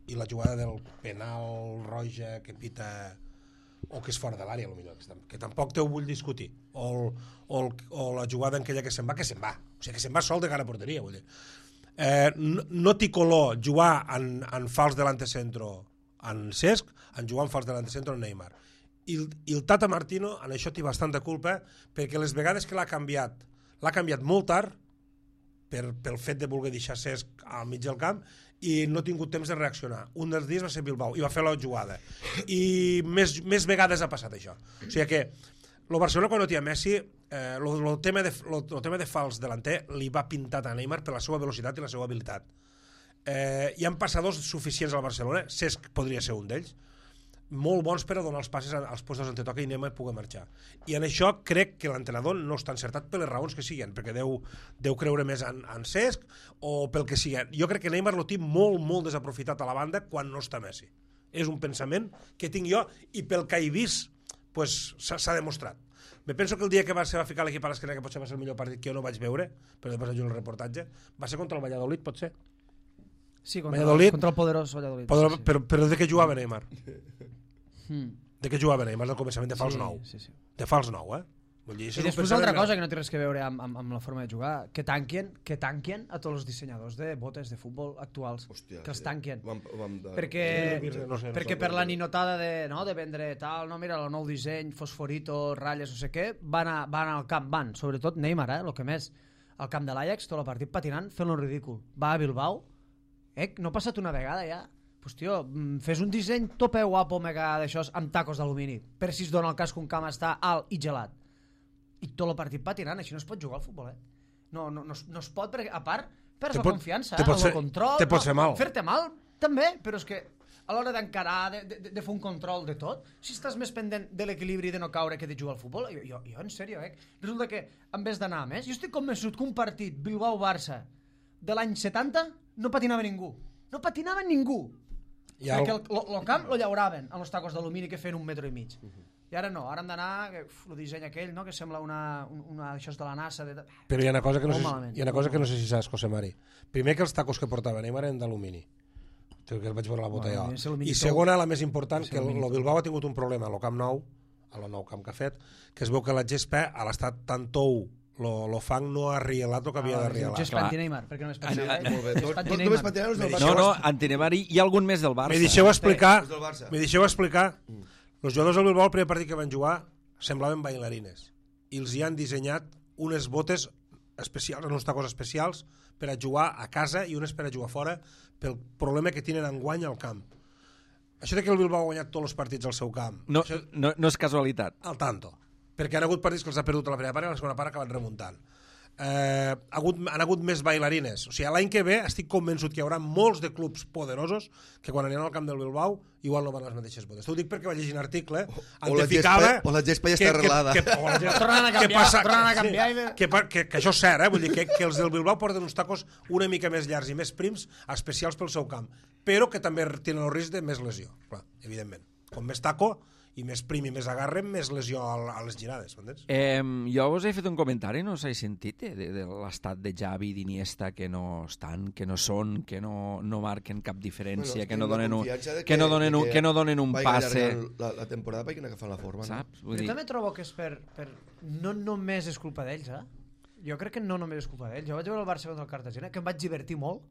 i la jugada del penal roja que pita o que és fora de l'àrea, que tampoc te ho vull discutir. O, el, o, el, o la jugada en aquella que se'n va, que se'n va. O sigui, que se'n va sol de cara a porteria, vull dir. Eh, no, no té color jugar en, en fals delante centro en Cesc, en jugar en fals delante centro en Neymar. I, i el Tata Martino en això té bastanta culpa, perquè les vegades que l'ha canviat l'ha canviat molt tard per, pel fet de voler deixar Cesc al mig del camp i no ha tingut temps de reaccionar. Un dels dies va ser Bilbao i va fer la jugada i més, més vegades ha passat això. O sigui que el Barcelona quan no té Messi eh, lo, lo, tema de, lo, lo tema de fals delanter li va pintat a Neymar per la seva velocitat i la seva habilitat. Eh, hi ha passadors suficients al Barcelona, Cesc podria ser un d'ells, molt bons per a donar els passes als postos on te toca i Neymar pugui marxar. I en això crec que l'entrenador no està encertat per les raons que siguen, perquè deu, deu creure més en, en Cesc o pel que sigui. Jo crec que Neymar lo té molt, molt desaprofitat a la banda quan no està Messi. És un pensament que tinc jo i pel que he vist pues, s'ha demostrat. Me penso que el dia que va, va ficar l'equip a l'esquena, que potser va ser el millor partit que jo no vaig veure, però després vaig veure el reportatge, va ser contra el Valladolid, potser? Sí, contra, Valladolid, contra el poderós Valladolid. Però, sí, sí. però, però de què jugava Neymar? Mm. De què jugava Neymar? Del començament de fals sí, nou. Sí, sí. De fals nou, eh? Vull dir, I després una altra cosa que no té res que veure amb, amb, amb la forma de jugar, que tanquien, que tanquien a tots els dissenyadors de botes de futbol actuals. Hòstia, que els sí. tanquien. Vam, vam de... Perquè, no sé, no perquè sé, per no la sé. ninotada de, no, de vendre tal, no, mira, el nou disseny, fosforito, ratlles, no sé què, van, a, van al camp, van, sobretot Neymar, eh, el que més, al camp de l'Ajax, tot el partit patinant, fent-lo ridícul. Va a Bilbao, eh, no ha passat una vegada ja, pues tio, fes un disseny tope guapo mega d'això amb tacos d'alumini, per si es dona el cas que un camp està alt i gelat. I tot el partit patinant, així no es pot jugar al futbol, eh? No, no, no, es, no es pot, perquè a part perds Te la pot- confiança, te eh? pot el fer- control, te pot fer mal. fer-te mal també, però és que a l'hora d'encarar, de, de, de fer un control de tot, si estàs més pendent de l'equilibri de no caure que de jugar al futbol, jo, jo, jo en sèrio, eh? Resulta que en vez d'anar a més, jo estic convençut que un partit Bilbao-Barça de l'any setanta no patinava ningú. No patinava ningú. I Perquè el... el, el camp lo llauraven amb els tacos d'alumini que feien un metre i mig. Uh -huh. I ara no, ara hem d'anar, el disseny aquell, no?, que sembla una, una això de la NASA. De... Però hi ha una cosa que no, sé, malament, hi ha una cosa que no sé si saps, José Mari. Primer, que els tacos que portava Neymar eren d'alumini. Que el vaig veure la bota Bueno, jo. I I segona, la més important, és que el, el Bilbao ha tingut un problema al Camp Nou, al nou camp que ha fet, que es veu que la gespa, a l'estat tan tou, lo, lo fang no ha rielat el que havia Ah, de rielar. Gespa anti-Neymar, perquè només Sí, patina. molt bé. És Tot- tot anti-Neymar. només patinaven els del Me Barça. No, no, anti-Neymar i, i algun més del Barça. Me deixeu explicar, Els del Barça. me deixeu explicar, els jugadors del Bilbao, el primer partit que van jugar, semblaven bailarines. I els hi han dissenyat unes botes especials, uns tacos especials, per a jugar a casa i unes per a jugar fora, pel problema que tenen enguany al camp. Això de que el Bilbao ha guanyat tots els partits al seu camp, No, això, no, no és casualitat. al tanto, perquè han hagut partits que els ha perdut a la primera part i a la segona part acaben remuntant. Eh, ha hagut, han hagut més bailarines. O sigui, l'any que ve estic convençut que hi haurà molts de clubs poderosos que quan aniran al camp del Bilbao igual no van les mateixes botes. T'ho dic perquè vaig llegir un article o la ficava gespa- o la gespa ja que- està que- arreglada. que- o la gespa- Tornen a que canviar, passa- tornen a sí, canviar i- que, pa- que, que això és cert, eh? Vull dir que, que els del Bilbao porten uns tacos una mica més llargs i més prims, especials pel seu camp, però que també tenen el risc de més lesió, clar, evidentment. Com més taco i més prim i més agarre, més lesió a, a les girades, m'entens? Eh, jo us he fet un comentari, no us he sentit, eh, de, de l'estat de Xavi i d'Iniesta, que no estan, que no són, que no, no marquen cap diferència, Bueno, que no tinc la donen un, confiança de que no donen de un, que no donen un vagi passe, allargant La, la temporada perquè agafant la forma. saps? Jo Vull dir, també trobo que és per, per... No només és culpa d'ells, eh? Jo crec que no només és culpa d'ells. Jo vaig veure el Barça contra el Cartagena, que em vaig divertir molt,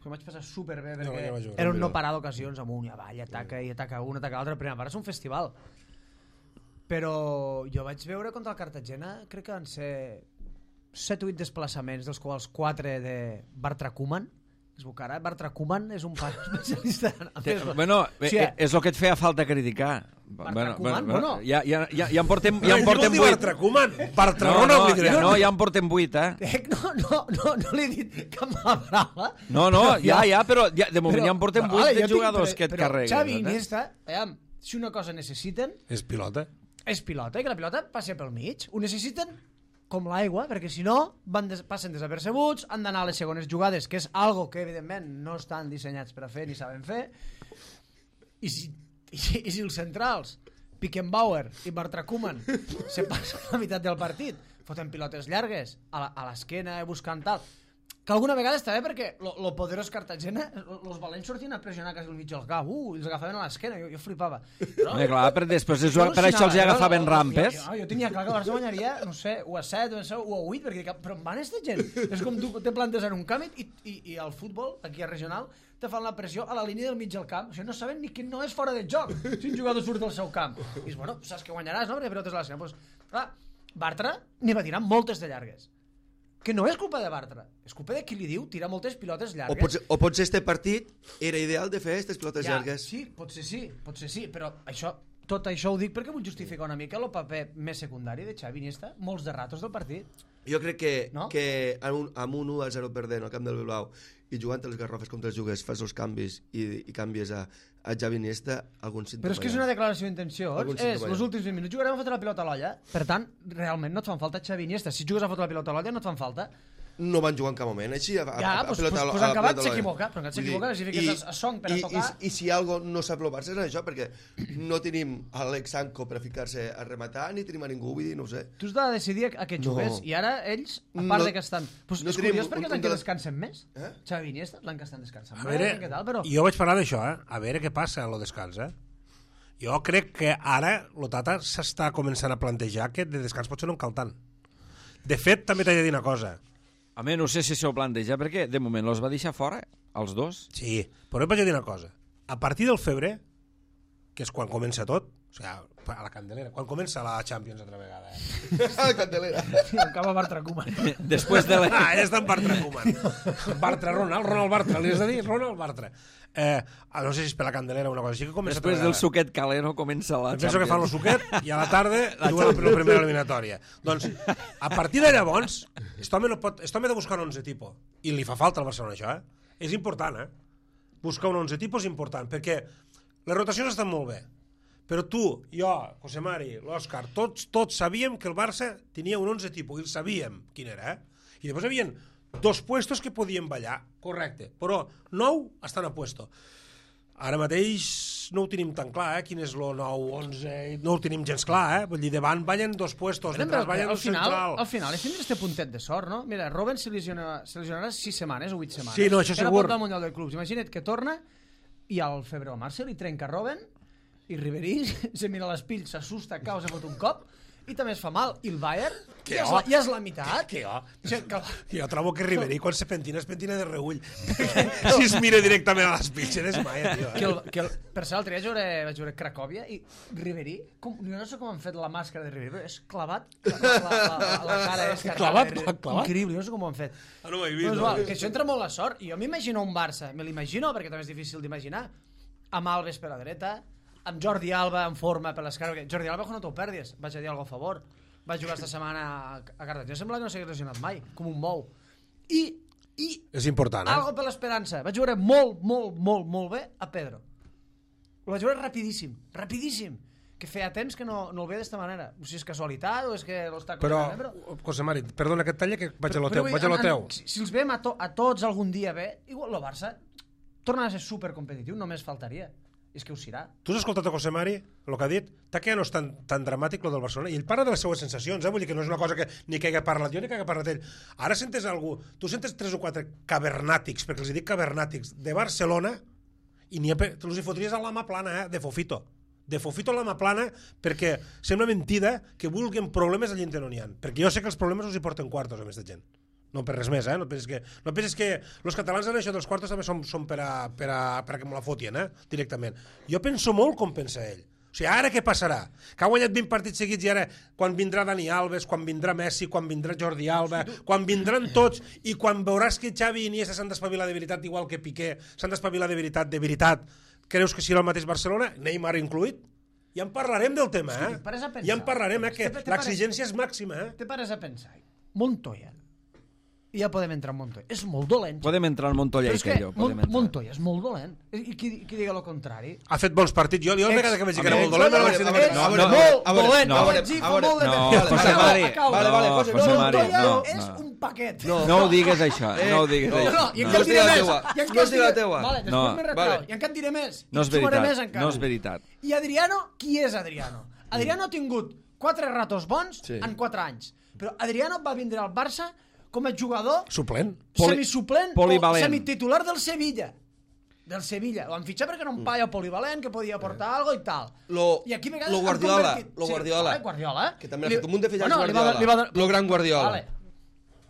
que em vaig passar superbé, Jo no, perquè jo vaig veure. era un no parar d'ocasions amunt i avall, ataca i ataca un, ataca l'altre. La primera part és un festival. Però jo vaig veure contra el Cartagena, crec que van ser set o vuit desplaçaments, dels quals quatre de Bartra Koeman. Es veu que ara Bartra Koeman és un pare especialista en te, fer-lo. bueno, O sigui, eh, és el que et feia falta criticar. Bartra Koeman, bueno. ja, ja, ja, ja en portem, ja en Què portem vol dir vuit. Bartra Koeman? Bartra No, Rona, no, vull dir. ja, no, ja en portem vuit, eh? Eh, No, no, no, no li he dit cap mala paraula. No, no, Però ja, ja, però ja, de moment però- ja en portem però, vuit vale, de jo tinc- jugadors però- que et però carreguen. Xavi i eh? Iniesta, aviam, si una cosa necessiten És pilota. és pilota, i que la pilota passi pel mig. Ho necessiten com l'aigua, perquè si no van des passen desapercebuts, han d'anar a les segones jugades, que és algo que evidentment no estan dissenyats per a fer ni saben fer, i si, i si, i si els centrals Pickenbauer i Bartra Koeman se passen la meitat del partit foten pilotes llargues a la- a l'esquena buscant tal, que alguna vegada està bé perquè lo, lo poderós Cartagena, els valents sortien a pressionar quasi el mig del camp, uh, i els agafaven a l'esquena, jo, jo flipava. Però, Home, clar, per, després, és, jo per això els hi al·lucinava, agafaven jo- rampes. Jo, jo, jo tenia clar que el Barça guanyaria, no sé, u a set, u a vuit, perquè dic, però on van aquesta gent? És com tu te plantes en un camp i, i, i al futbol, aquí a regional, te fan la pressió a la línia del mig del camp. O sigui, no saben ni que no és fora de joc si un jugador surt del seu camp. I dius, bueno, saps que guanyaràs, no? Perquè pilotes a l'esquena. Pues, clar, Bartra n'hi va tirar moltes de llargues. Que no és culpa de Bartra, és culpa de qui li diu tirar moltes pilotes O llargues. potser, o potser este partit era ideal de fer aquestes pilotes Ja, llargues. sí, potser sí, potser sí, però això, tot això ho dic perquè vull justificar una mica el paper més secundari de Xavi Iniesta, molts de ratos del partit. Jo crec que, No? que amb un, amb un u a zero perdent al camp del Bilbao i jugant a les garrofes contra els jugues, fas els canvis i, i canvies a, a Xavi Iniesta, algun símptoma. Però és que és hi ha. una declaració d'intenció. Algun És, símptoma hi ha. els últims vint minuts jugarem a fotre la pilota a l'olla. Per tant, realment no et fan falta Xavi Iniesta. Si jugues a fotre la pilota a l'olla no et fan falta. No van jugar en cap moment, així a, a, Ja, a, pues- pilota pues- a- pues a en acabat pilota a l'olla. s'equivoca, però en Vull dir, s'equivoca, si fiques i- a- a Song per a i, tocar. I, i si algo no sap el Barça és això, perquè no tenim Alex Sanko per a ficar-se a rematar, ni tenim a ningú, vull dir, no ho sé. Tu has de decidir a què No. jugues. I ara ells, a part No- de que estan... Pues no és tenim curiós un- perquè un l'any que de- descansen més. Eh? Xavi Iniesta, l'any que estan descansant A més. veure, Què tal, però... jo vaig parlar d'això, eh? A veure què passa en el descans, eh? Jo crec que ara el Tata s'està començant a plantejar que de descans potser no en cal tant. De fet, també t'he de dir una cosa. Home, no sé si s'ho planteja, perquè de moment els va deixar fora, els dos. Sí, però et vaig a dir una cosa. A partir del febrer, que és quan comença tot, o sigui, a la Candelera, quan comença la Champions altra vegada, eh? Candelera. El cap a Bartra Koeman. Després de la... Ah, ja està en Bartra Koeman. Bartra, Ronald, Ronald Bartra, li has de dir Ronald Bartra. Eh, no sé si és per la Candelera o una cosa així, que comença Després altra del vegada. suquet calent comença la Penso que fan el Champions. suquet i a la tarda juguen la, la primera eliminatòria. Doncs, a partir de llavors, aquest home, no pot, aquest home ha de buscar un onze tipus. I li fa falta al Barcelona, això, eh? És important, eh? buscar un onze tipus important, perquè les rotacions estan molt bé, però tu, jo, José Mari, l'Òscar, tots, tots sabíem que el Barça tenia un onze tipus, i el sabíem quin era, eh? I després hi havia dos puestos que podien ballar, correcte, però nou estan a puesto. Ara mateix no ho tenim tan clar, eh? Quin és el nou, onze... No ho tenim gens clar, eh? Vull dir, davant ballen dos puestos, detrás ballen al un final, central. al final és tindre este puntet de sort, no? Mira, Robben se lesionarà, se lesionarà sis setmanes o vuit setmanes. Sí, no, això Era segur. portar al Mundial de Clubs. Imagina't que torna i al febrer o març se li trenca Robben i Ribery se mira les pills, s'assusta, cau, se fot un cop i també es fa mal. I el Bayern Que ja és, oh. la, ja és la meitat. Que jo, O sigui, que... jo trobo que Ribery quan se pentina es pentina de reull. Si es mira directament a les pitxeres, mai, tio. que el, que el, per ser l'altre dia jugaré, vaig jugar a Cracòvia i Ribery, com, jo no sé com han fet la màscara de Ribery, però és clavat la, la, la, la cara és Clavat, clavat? increïble, no sé com ho han fet. Ah, no ho he Però vist. és No, igual, que això entra molt la sort. I jo m'imagino un Barça, me l'imagino perquè també és difícil d'imaginar, amb Alves per la dreta, amb Jordi Alba en forma per l'esquerra, perquè Jordi Alba no t'ho perdis, vaig a dir alguna a favor. Vaig jugar esta setmana a Cartagena, sembla que no s'hagués lesionat mai, com un mou. I, i és important, eh? algo per l'esperança. Vaig jugar molt, molt, molt, molt bé a Pedro. Ho vaig jugar rapidíssim, rapidíssim. Que feia temps que no, no el veia d'esta manera. No sé si és casualitat o és que l'està... Però, però... José Mari, perdona que et talla, que vaig a lo Però teu. vull dir, Vaig a lo en- teu. en- Si, si els veiem a, to, a tots algun dia bé, igual el Barça torna a ser supercompetitiu, només faltaria. És que ho serà. Tu has escoltat a José Mari, el que ha dit? T'ha que no és tan, tan dramàtic lo del Barcelona? I ell parla de les seues sensacions, eh? Vull dir que no és una cosa que ni que hagi parlat jo ni que hagi parlat ell. Ara sentes algú, tu sentes tres o quatre cavernàtics, perquè els dic cavernàtics, de Barcelona, i n'hi ha, te els hi fotries a l'ama plana, eh? De Fofito. De Fofito a l'ama plana, perquè sembla mentida que vulguin problemes allà on no n'hi ha. Perquè jo sé que els problemes els hi porten quartos a més de gent. No per res més, eh? No penses que, no penses que els catalans en això dels quartos també són, són per, a, per, a, per a que me la fotien, eh? Directament. Jo penso molt com pensa ell. O sigui, ara què passarà? Que ha guanyat vint partits seguits i ara, quan vindrà Dani Alves, quan vindrà Messi, quan vindrà Jordi Alba, quan vindran tots i quan veuràs que Xavi i Iniesta s'han d'espavilar de veritat, igual que Piqué, s'han d'espavilar de veritat, de veritat, creus que serà el mateix Barcelona? Neymar incluït? Ja en parlarem del tema, eh? Escolti, pares a pensar. Ja en parlarem, eh? Que Te- te l'exigència és màxima, eh? Te pares a pensar. Montoya. I ja podem entrar en Montoya. És molt dolent. Podem entrar al Montoya Però i és que Tello. Mon Podem entrar. Montoya és molt dolent. I qui, qui diga el contrari? Ha fet bons partits. Jo, jo la vegada que vaig dir que era Ex- molt dolent, a no veure, vaig a dir veure, no, a veure, no, molt a veure, dolent. no, No, a no, veure, no, a veure, molt de no, temps. José Acabo, Mari, acabo. Vale, vale, no, José, José no, Mari, Montoya no, és no. un paquet. No. No ho digues això, Eh, no ho digues no. No, això. no, i No encara es diré diu la més. teua. I encara No es diu la diré- teua. Vale, després No. me retrau. Vale. I encara et diré més. No és I jugaré més veritat, encara. no és veritat. I Adriano, qui és Adriano? Adriano ha tingut quatre ratos bons Sí. en quatre anys. Però Adriano va vindre al Barça com a jugador Suplent. Poli- semisuplent polivalent. o semititular del Sevilla. Del Sevilla. Ho han fitxat perquè era un paio polivalent que podia aportar algo i tal. Lo, I aquí a vegades lo han Guardiola, convertit- lo Sí, Guardiola, vale, Guardiola. que també ha Li- fet un munt de fitxatges Bueno, li va- Guardiola. li va dar- Lo gran Guardiola. Vale.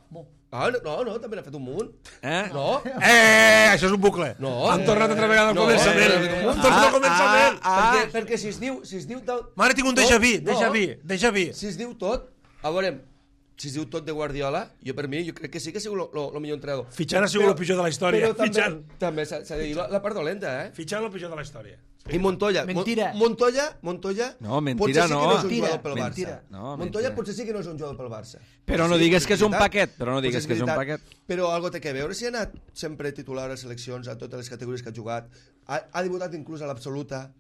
Bo. Ah, no, no, també n'ha fet un munt. Eh? No? Eh, això és un bucle. No. Han tornat altra vegada al No, començament. eh, Han tornat al començament. Ah, perquè, perquè si es diu... Si es diu tot, Mare, tinc un tot- déjà vu, no, déjà vu, déjà vu. Si es diu tot, a veure, si es diu tot de Guardiola, jo per mi, jo crec que sí que ha sigut el millor entrenador. Fitxant ha sigut el pitjor de la història. Però també, Fitxant. també s'ha s'ha de dir la, la part dolenta, eh? Fitxant el pitjor de la història. I Montoya. Mentira. Mon- Montoya, Montoya... No, mentira, potser sí no. que no és un Mentira, jugador pel mentira. Barça. No, Montoya mentira. potser sí que no és un jugador pel Barça. Però no Sí, digues que és un veritat. paquet, però no digues Potser que és un veritat. paquet. Però algo té que veure si ha anat sempre titular a seleccions, a totes les categories que ha jugat, ha, ha debutat inclús a l'absoluta,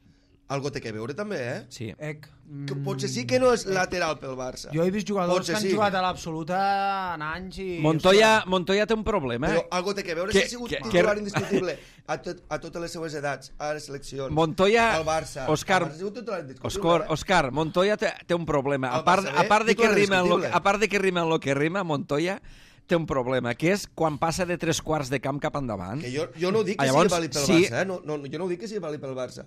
algo té que veure també, eh? Sí. Ec. Que potser sí que no és lateral pel Barça. Jo he vist jugadors Potser que han sí. jugat a l'absoluta en anys i... Montoya, Montoya té un problema. Però Eh? algo té que veure Que- si ha sigut que- titular que- indiscutible a, tot, a totes les seues edats, a les seleccions, Montoya, al Barça. Òscar, Al Barça ha sigut titular indiscutible. Òscar, eh? Òscar, Montoya té, té un problema. A El part, Barça a B, part de que titular rima en lo, indiscutible. a part de que rima en lo que rima, Montoya té un problema, que és quan passa de tres quarts de camp cap endavant. Que jo, jo no ho dic que Ah, llavors, sigui vàlid pel sí. Barça, eh? no, no, jo no ho dic que sigui vàlid pel Barça.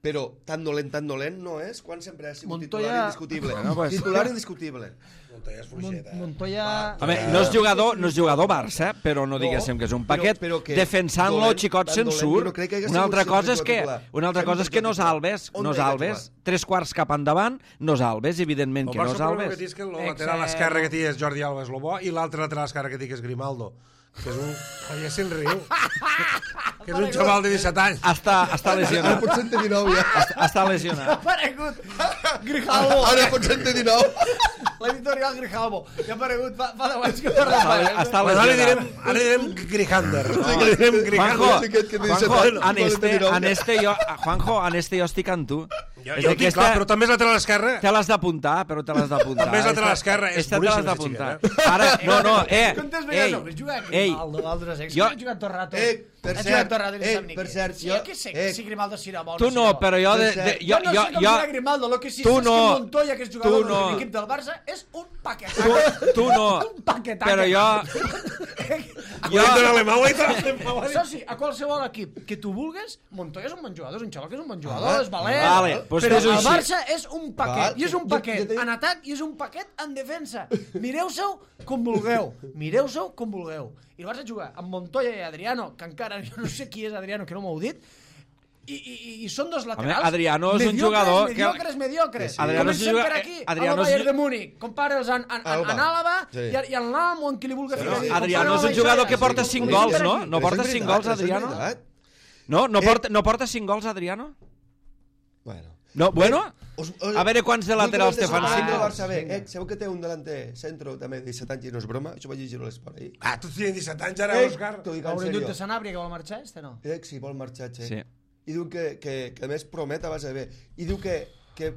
Però tan dolent, tan dolent no és quan sempre ha sigut Montoya- titular indiscutible. Bueno, pues- Titular indiscutible. Montoya és Mon fluixeta. eh? Montoya... A veure, no és jugador, no és jugador Barça, però no diguéssim que és un paquet. però- però que Defensant-lo, dolent, xicot, tan se'n dolent, surt. jo no crec que hagués Una altra sigut cosa és sempre que, titular. una altra cosa és que no és Sempre Alves, on no és deia Alves. titular? Tres quarts cap endavant, no és Alves, evidentment El que no Barça és el problema Alves. que té és que el Ex- lateral esquerre que té és Jordi Alba és el bo i l'altre lateral esquerre que té que és Grimaldo, Que és un... Ai, ja se'n riu. Que és un xaval de disset anys. Està, està Ara lesionat. pot ser en té dinou, ja. Està, està lesionat. Ha aparegut Grijalvo. Ara pot ser en té dinou. L'editorial Grijalvo. Ja ha aparegut fa, fa deu anys que parla. Està, està Bueno, ara li direm, lesionat. ara li direm Grijander. Ara li direm Juanjo, Grijander. Juanjo, en este, en este jo, Juanjo, en este jo estic amb tu. Jo, És jo que ho dic, esta- clar, però també és lateral esquerra. Te l'has d'apuntar, però te l'has d'apuntar. També és lateral Esta- esquerra, és esta te l'has boníssim, d'apuntar. aquest Ara, no, no, eh, Quantes ei, vegades no? Juga ei, Grimaldo, Valdres, eh? jo- Jo... He jugat tot el rato. Eh, per He cert, jugat tot el rato i no eh, sap ni per què. cert, Sí, jo- jo què sé, eh, si Grimaldo serà bo o tu no no, serà bo. però jo, de, Per de, cert, jo, Jo no jo, sé com jo, serà Grimaldo, lo que sí tu sé és no. que Montoya, que és jugador Tu no. de l'equip del Barça, és un paquetac. tu, tu no, Un paquetac. però jo, Jo... De l'alemà, ho he dit a l'alemà. Això sí, a qualsevol equip que tu vulguis, Montoya és un bon jugador, és un xaval que és un bon jugador, Ah, és valent, vale, pues però fes-ho el així. Barça és un paquet, Val, i és un jo- paquet jo t'he dit- en atac i és un paquet en defensa. Mireu-se'l com vulgueu, mireu-se'l com vulgueu. I el Barça juga amb Montoya i Adriano, que encara jo no sé qui és Adriano, que no m'ho heu dit, i, i, i són dos laterals. Adriano és un mediocres, jugador que- mediocres, mediocres. Sí. Adriano és un Comencem jugador- per aquí, Adriano amb el és un Bayern de Múnich. Compara'ls en, en, en, Alba. en Àlava Sí. i, i en l'Alm o en qui li vulgui ficar. sí. Adriano és un jugador que porta cinc gols, no? No porta cinc gols, Adriano? No, no Eh. porta, no porta cinc gols, Adriano? Bueno. No, bueno, Us, us, a veure quants de laterals te fan cinc. cinc del gols. Barça B. Eh, sabeu que té un delanter centro també de disset anys i no és broma? Això vaig llegir a l'esport ahir. Ah, tu tens disset anys ara, Eh, Òscar. t'ho dic en Haurem dit de sèrio. Sanabria que vol marxar, este no? Eh, sí, vol marxar, Che. Sí. I diu que, que, que a més promet a base B. I diu que, que,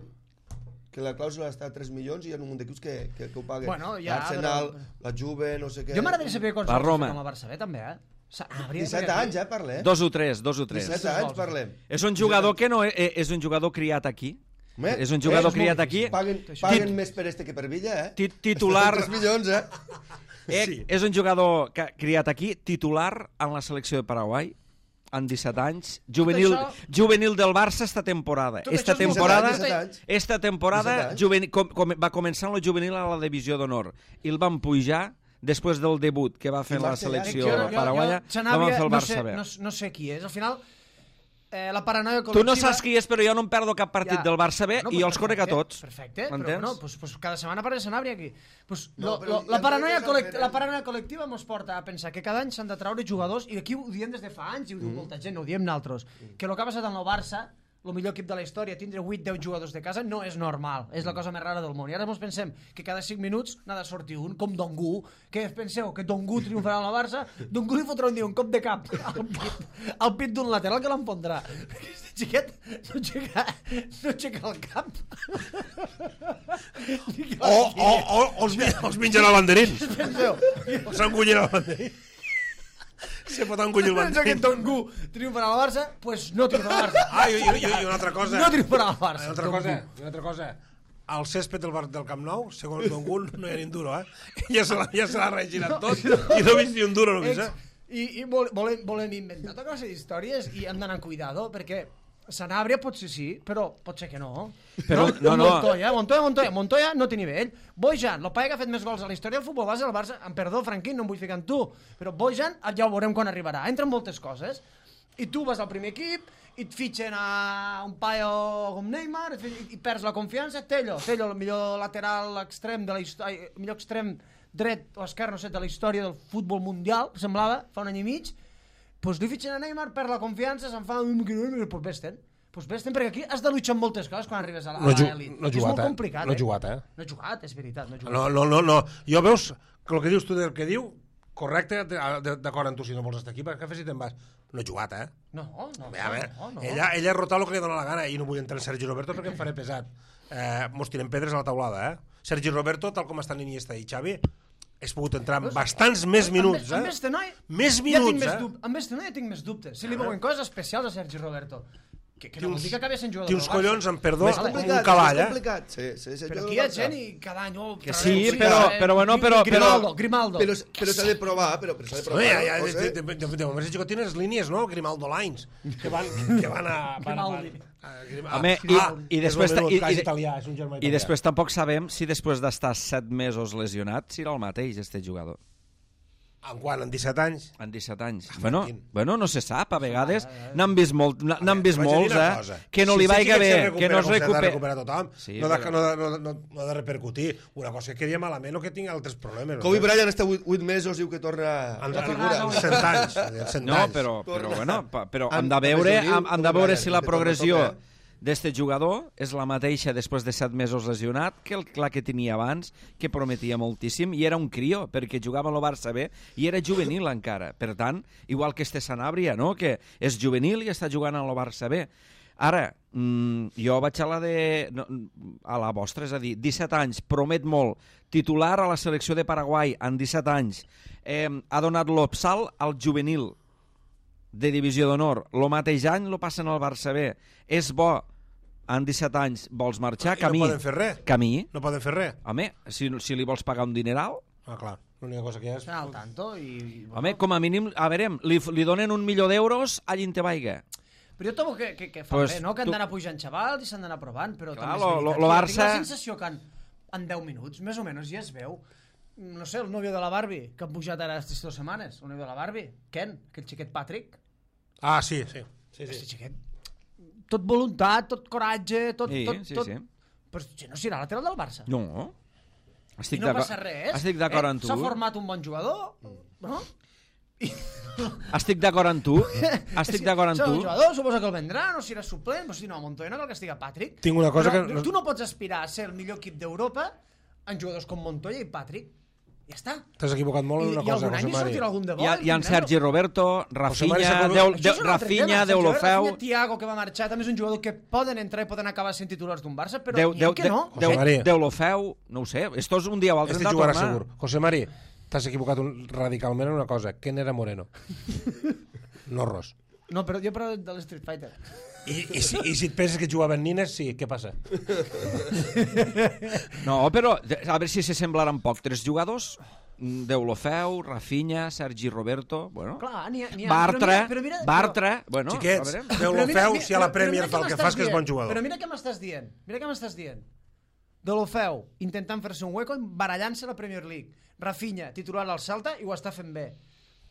que la clàusula està a tres milions i hi ha un munt d'equips que, que, que ho paguen. Bueno, ja, L'Arsenal, però- la Juve, no sé què. Jo m'agradaria saber quants La gols Roma. ha fet amb el Barça B, també, eh? Sanabria, disset perquè- anys, eh, parlem. Dos o tres, dos o tres. disset anys parlem. És un jugador que no eh, és un jugador criat aquí. Home, És un jugador eh, criat aquí. Paguen, paguen més per este que per Villa, eh? Ti- titular- tres milions, eh? Eh, Sí. És un jugador que, criat aquí, titular en la selecció de Paraguai, amb disset anys, juvenil, això- juvenil del Barça esta temporada. Tot Esta això és molt temporada, disset anys. esta temporada disset anys. juvenil, com, com, va començar en la juvenil a la divisió d'honor i el van pujar després del debut que va fer I en la Marcel selecció Jo- jo- paraguaya, jo, la van Sanabria, fer el no Barça sé, B. no, no sé qui és. Al final, eh, la paranoia Tu col·lectiva... no saps qui és, però jo no em perdo cap partit Ja. del Barça B Bueno, i pues jo els conec a perfecte, tots. Perfecte, però M'entens? bueno, pues, pues cada setmana parla de Sanabria aquí. Pues, No, lo, però lo, ja la, et paranoia dic que col·lect, és la paranoia col·lectiva mos porta a pensar que cada any s'han de treure jugadors, i aquí ho diem des de fa anys, i ho diu Mm. molta gent, no ho diem naltros, que el que ha passat amb el Barça, el millor equip de la història, tindre vuit deu jugadors de casa no és normal, és la cosa més rara del món. I ara ens pensem que cada cinc minuts n'ha de sortir un, com Dongu, que penseu que Dongu triomfarà en la Barça, Dongu li fotrà un dia un cop de cap al pit, al pit d'un lateral que l'enfondrà. Aquest xiquet no aixeca, no aixeca el cap. O, o, o, o els, mi- els mengen el banderín. Penseu, O s'engullen el banderín. Se pot engullir el penso que banderín. Dongu triomfarà al Barça, doncs pues no triomfarà al Barça. Ah, i, i, i, i una altra cosa. No triomfarà al Barça. Una altra Dongu. cosa, una altra cosa. Al césped del, bar, del Camp Nou, segons Don Gun, no hi ha ni un duro, eh? Ja se l'ha ja se l'ha regirat tot i no he vist ni un duro, no he vist, Ex, eh? I, i vol, volem, volem inventar tota classe d'històries i hem d'anar amb cuidado, perquè Sanabria potser sí, però pot ser que no. Però, no, no. Montoya, Montoya, Montoya, Montoya no té nivell. Bojan, el paia que ha fet més gols a la història del futbol base del Barça, em perdó, Franquín, no em vull ficar amb tu, però Bojan ja ho veurem quan arribarà. Entren moltes coses, i tu vas al primer equip, i et fitxen a un paio com Neymar, i, i perds la confiança, Tello, Tello, el millor lateral extrem de la història, el millor extrem dret o esquerre, no sé, de la història del futbol mundial, semblava, fa un any i mig, doncs li fitxen a Neymar, perd la confiança, se'n fa un... Doncs vés-te'n. Doncs vés-te'n, perquè aquí has de luchar amb moltes coses quan arribes a No, ju l'elit. no ha És jugat, molt eh? complicat, No ha jugat, eh? No ha jugat, és veritat, no ha jugat. No, no, no, no. Jo veus que el que dius tu del que diu, correcte, d'acord amb tu, si no vols estar aquí, perquè fes si te'n vas. No ha jugat, eh? No, no, Bé, a veure, no, no. ella, ella ha rotat el que li dóna la gana i no vull entrar en Sergi Roberto perquè em faré pesat. Eh, mos tirem pedres a la taulada, eh? Sergi Roberto, tal com estan Iniesta i Xavi, has pogut entrar amb bastants més minuts, Amb eh? este noi... Més ja tinc minuts, més eh? dub- Amb este noi ja tinc més dubtes. Si li veuen coses especials a Sergi Roberto. Que, que Té no uns- vol dir que acabi sent jugador té uns del Barça. collons, amb perdó, Més com complicat, un cavall, és eh? complicat. Sí, sí, sí, Però jo aquí del hi ha Barça. gent i cada any... Oh, Que traurem sí, un però- cigarret, però bueno, Gri- però- Grimaldo, però- Grimaldo. Però, però s'ha de provar, però, però s'ha de No, provar. ja, ja, no de, sé. de, de, de, de moment Gico tienes línies, no? Grimaldo Lines, que van, que van a... Van, a- Grimaldi. a, a, Home, i- ah, i és després el ta- meu i- cas i- italià, és un germà I italià. després tampoc sabem si després d'estar set mesos lesionat serà el mateix, este jugador. En quan? En disset anys? En disset anys. Ah, Bueno, Franquín. bueno, no se sap, a vegades n'han vist, molt, n'han vist Vaig a dir molts, una eh? cosa. Que no Si li sí vaiga que bé, se que no es com s'ha de recupera. recuperar tothom. Sí, no, de, però- no, de, no, no, no ha de repercutir. Una cosa és que quedi malament o que tingui altres problemes. Kobe no? Bryant està vuit mesos, diu que torna En, a en, figura. en cent anys. En cent No, anys. però, però, Torna. bueno, pa- però Han- hem de veure, han de hem, hem de Kobe veure Bryant, si la que torna progressió a tope, d'este jugador és la mateixa després de set mesos lesionat que el, la que tenia abans, que prometia moltíssim, i era un crió, perquè jugava a lo Barça B i era juvenil encara. Per tant, igual que este Sanabria, no? Que és juvenil i està jugant a lo Barça B. Ara, mmm, jo vaig a la de... No, a la vostra, és a dir, disset anys, promet molt, titular a la selecció de Paraguai en disset anys, eh, ha donat l'opsal al juvenil de divisió d'honor. Lo mateix any lo passen al Barça B. És bo, en disset anys vols marxar, I camí. no poden fer res. Camí. No poden fer res. Home, si, si li vols pagar un dineral, Ah, clar. L'única cosa que hi ha és... Estan al tanto i... home, com a mínim, a veure, li, li donen un milió d'euros a Llintebaiga. Però jo trobo que, que, que fa Pues bé, no? Que han tu- d'anar pujant xavals i s'han d'anar provant, però Clar, també és lo- veritat. lo- lo que Barça- Tinc la sensació que en, en deu minuts, més o menys, ja es veu. No sé, el nòvio de la Barbie, que han pujat ara aquestes dues setmanes, el nòvio de la Barbie, Ken, aquell xiquet Patrick, Ah, sí, sí. sí, aquest sí. xiquet, tot voluntat, tot coratge, tot... Sí, tot, sí, tot... sí. Però si no serà lateral del Barça. No. I Estic no d'acord- passa res. Estic d'acord eh? amb tu. S'ha format un bon jugador, no? Estic d'acord amb tu. Estic d'acord amb Serà un tu. jugador, suposa que el vendrà, no serà suplent, però si no, a Montoya no cal que estigui Patrick. Tinc una cosa però que- Tu no pots aspirar a ser el millor equip d'Europa en jugadors com Montoya i Patrick. Ja està. T'has equivocat molt I, en una i cosa, algun any José hi Mari. sortirà algun de bo. Hi ha, hi ha en Sergi Roberto, Mari s'ha Rafinha, colat- Deu, Això de, és un altre Rafinha, tema. Deulofeu... Rafinha, Thiago, que va marxar, també és un jugador que poden entrar i poden acabar sent titulars d'un Barça, però Deu, n'hi ha deu, que no. Deu, José Mari. Deulofeu, no ho sé. Esto és un dia o altre Este hem de jugarà tornar. segur. José Mari, t'has equivocat un, radicalment en una cosa. Ken era Moreno. No Ros. No, però jo parlo de l'Street Fighter. I, i, si, I si et penses que jugaven nines, sí, què passa? No, però a veure si se semblaran poc. Tres jugadors, Deulofeu, Rafinha, Sergi Roberto, bueno, Clar, n'hi ha... n'hi ha- Bartra, però mira, però mira, Bartra, bueno, Xiquets, a veure. Però Deulofeu, mira- si a la però- però Premier mira fa el què que m'estàs fas, que és bon dient. jugador. Però mira què m'estàs dient. Mira què m'estàs dient. Deulofeu, intentant fer-se un hueco, barallant-se a la Premier League. Rafinha, titular al Celta, i ho està fent bé.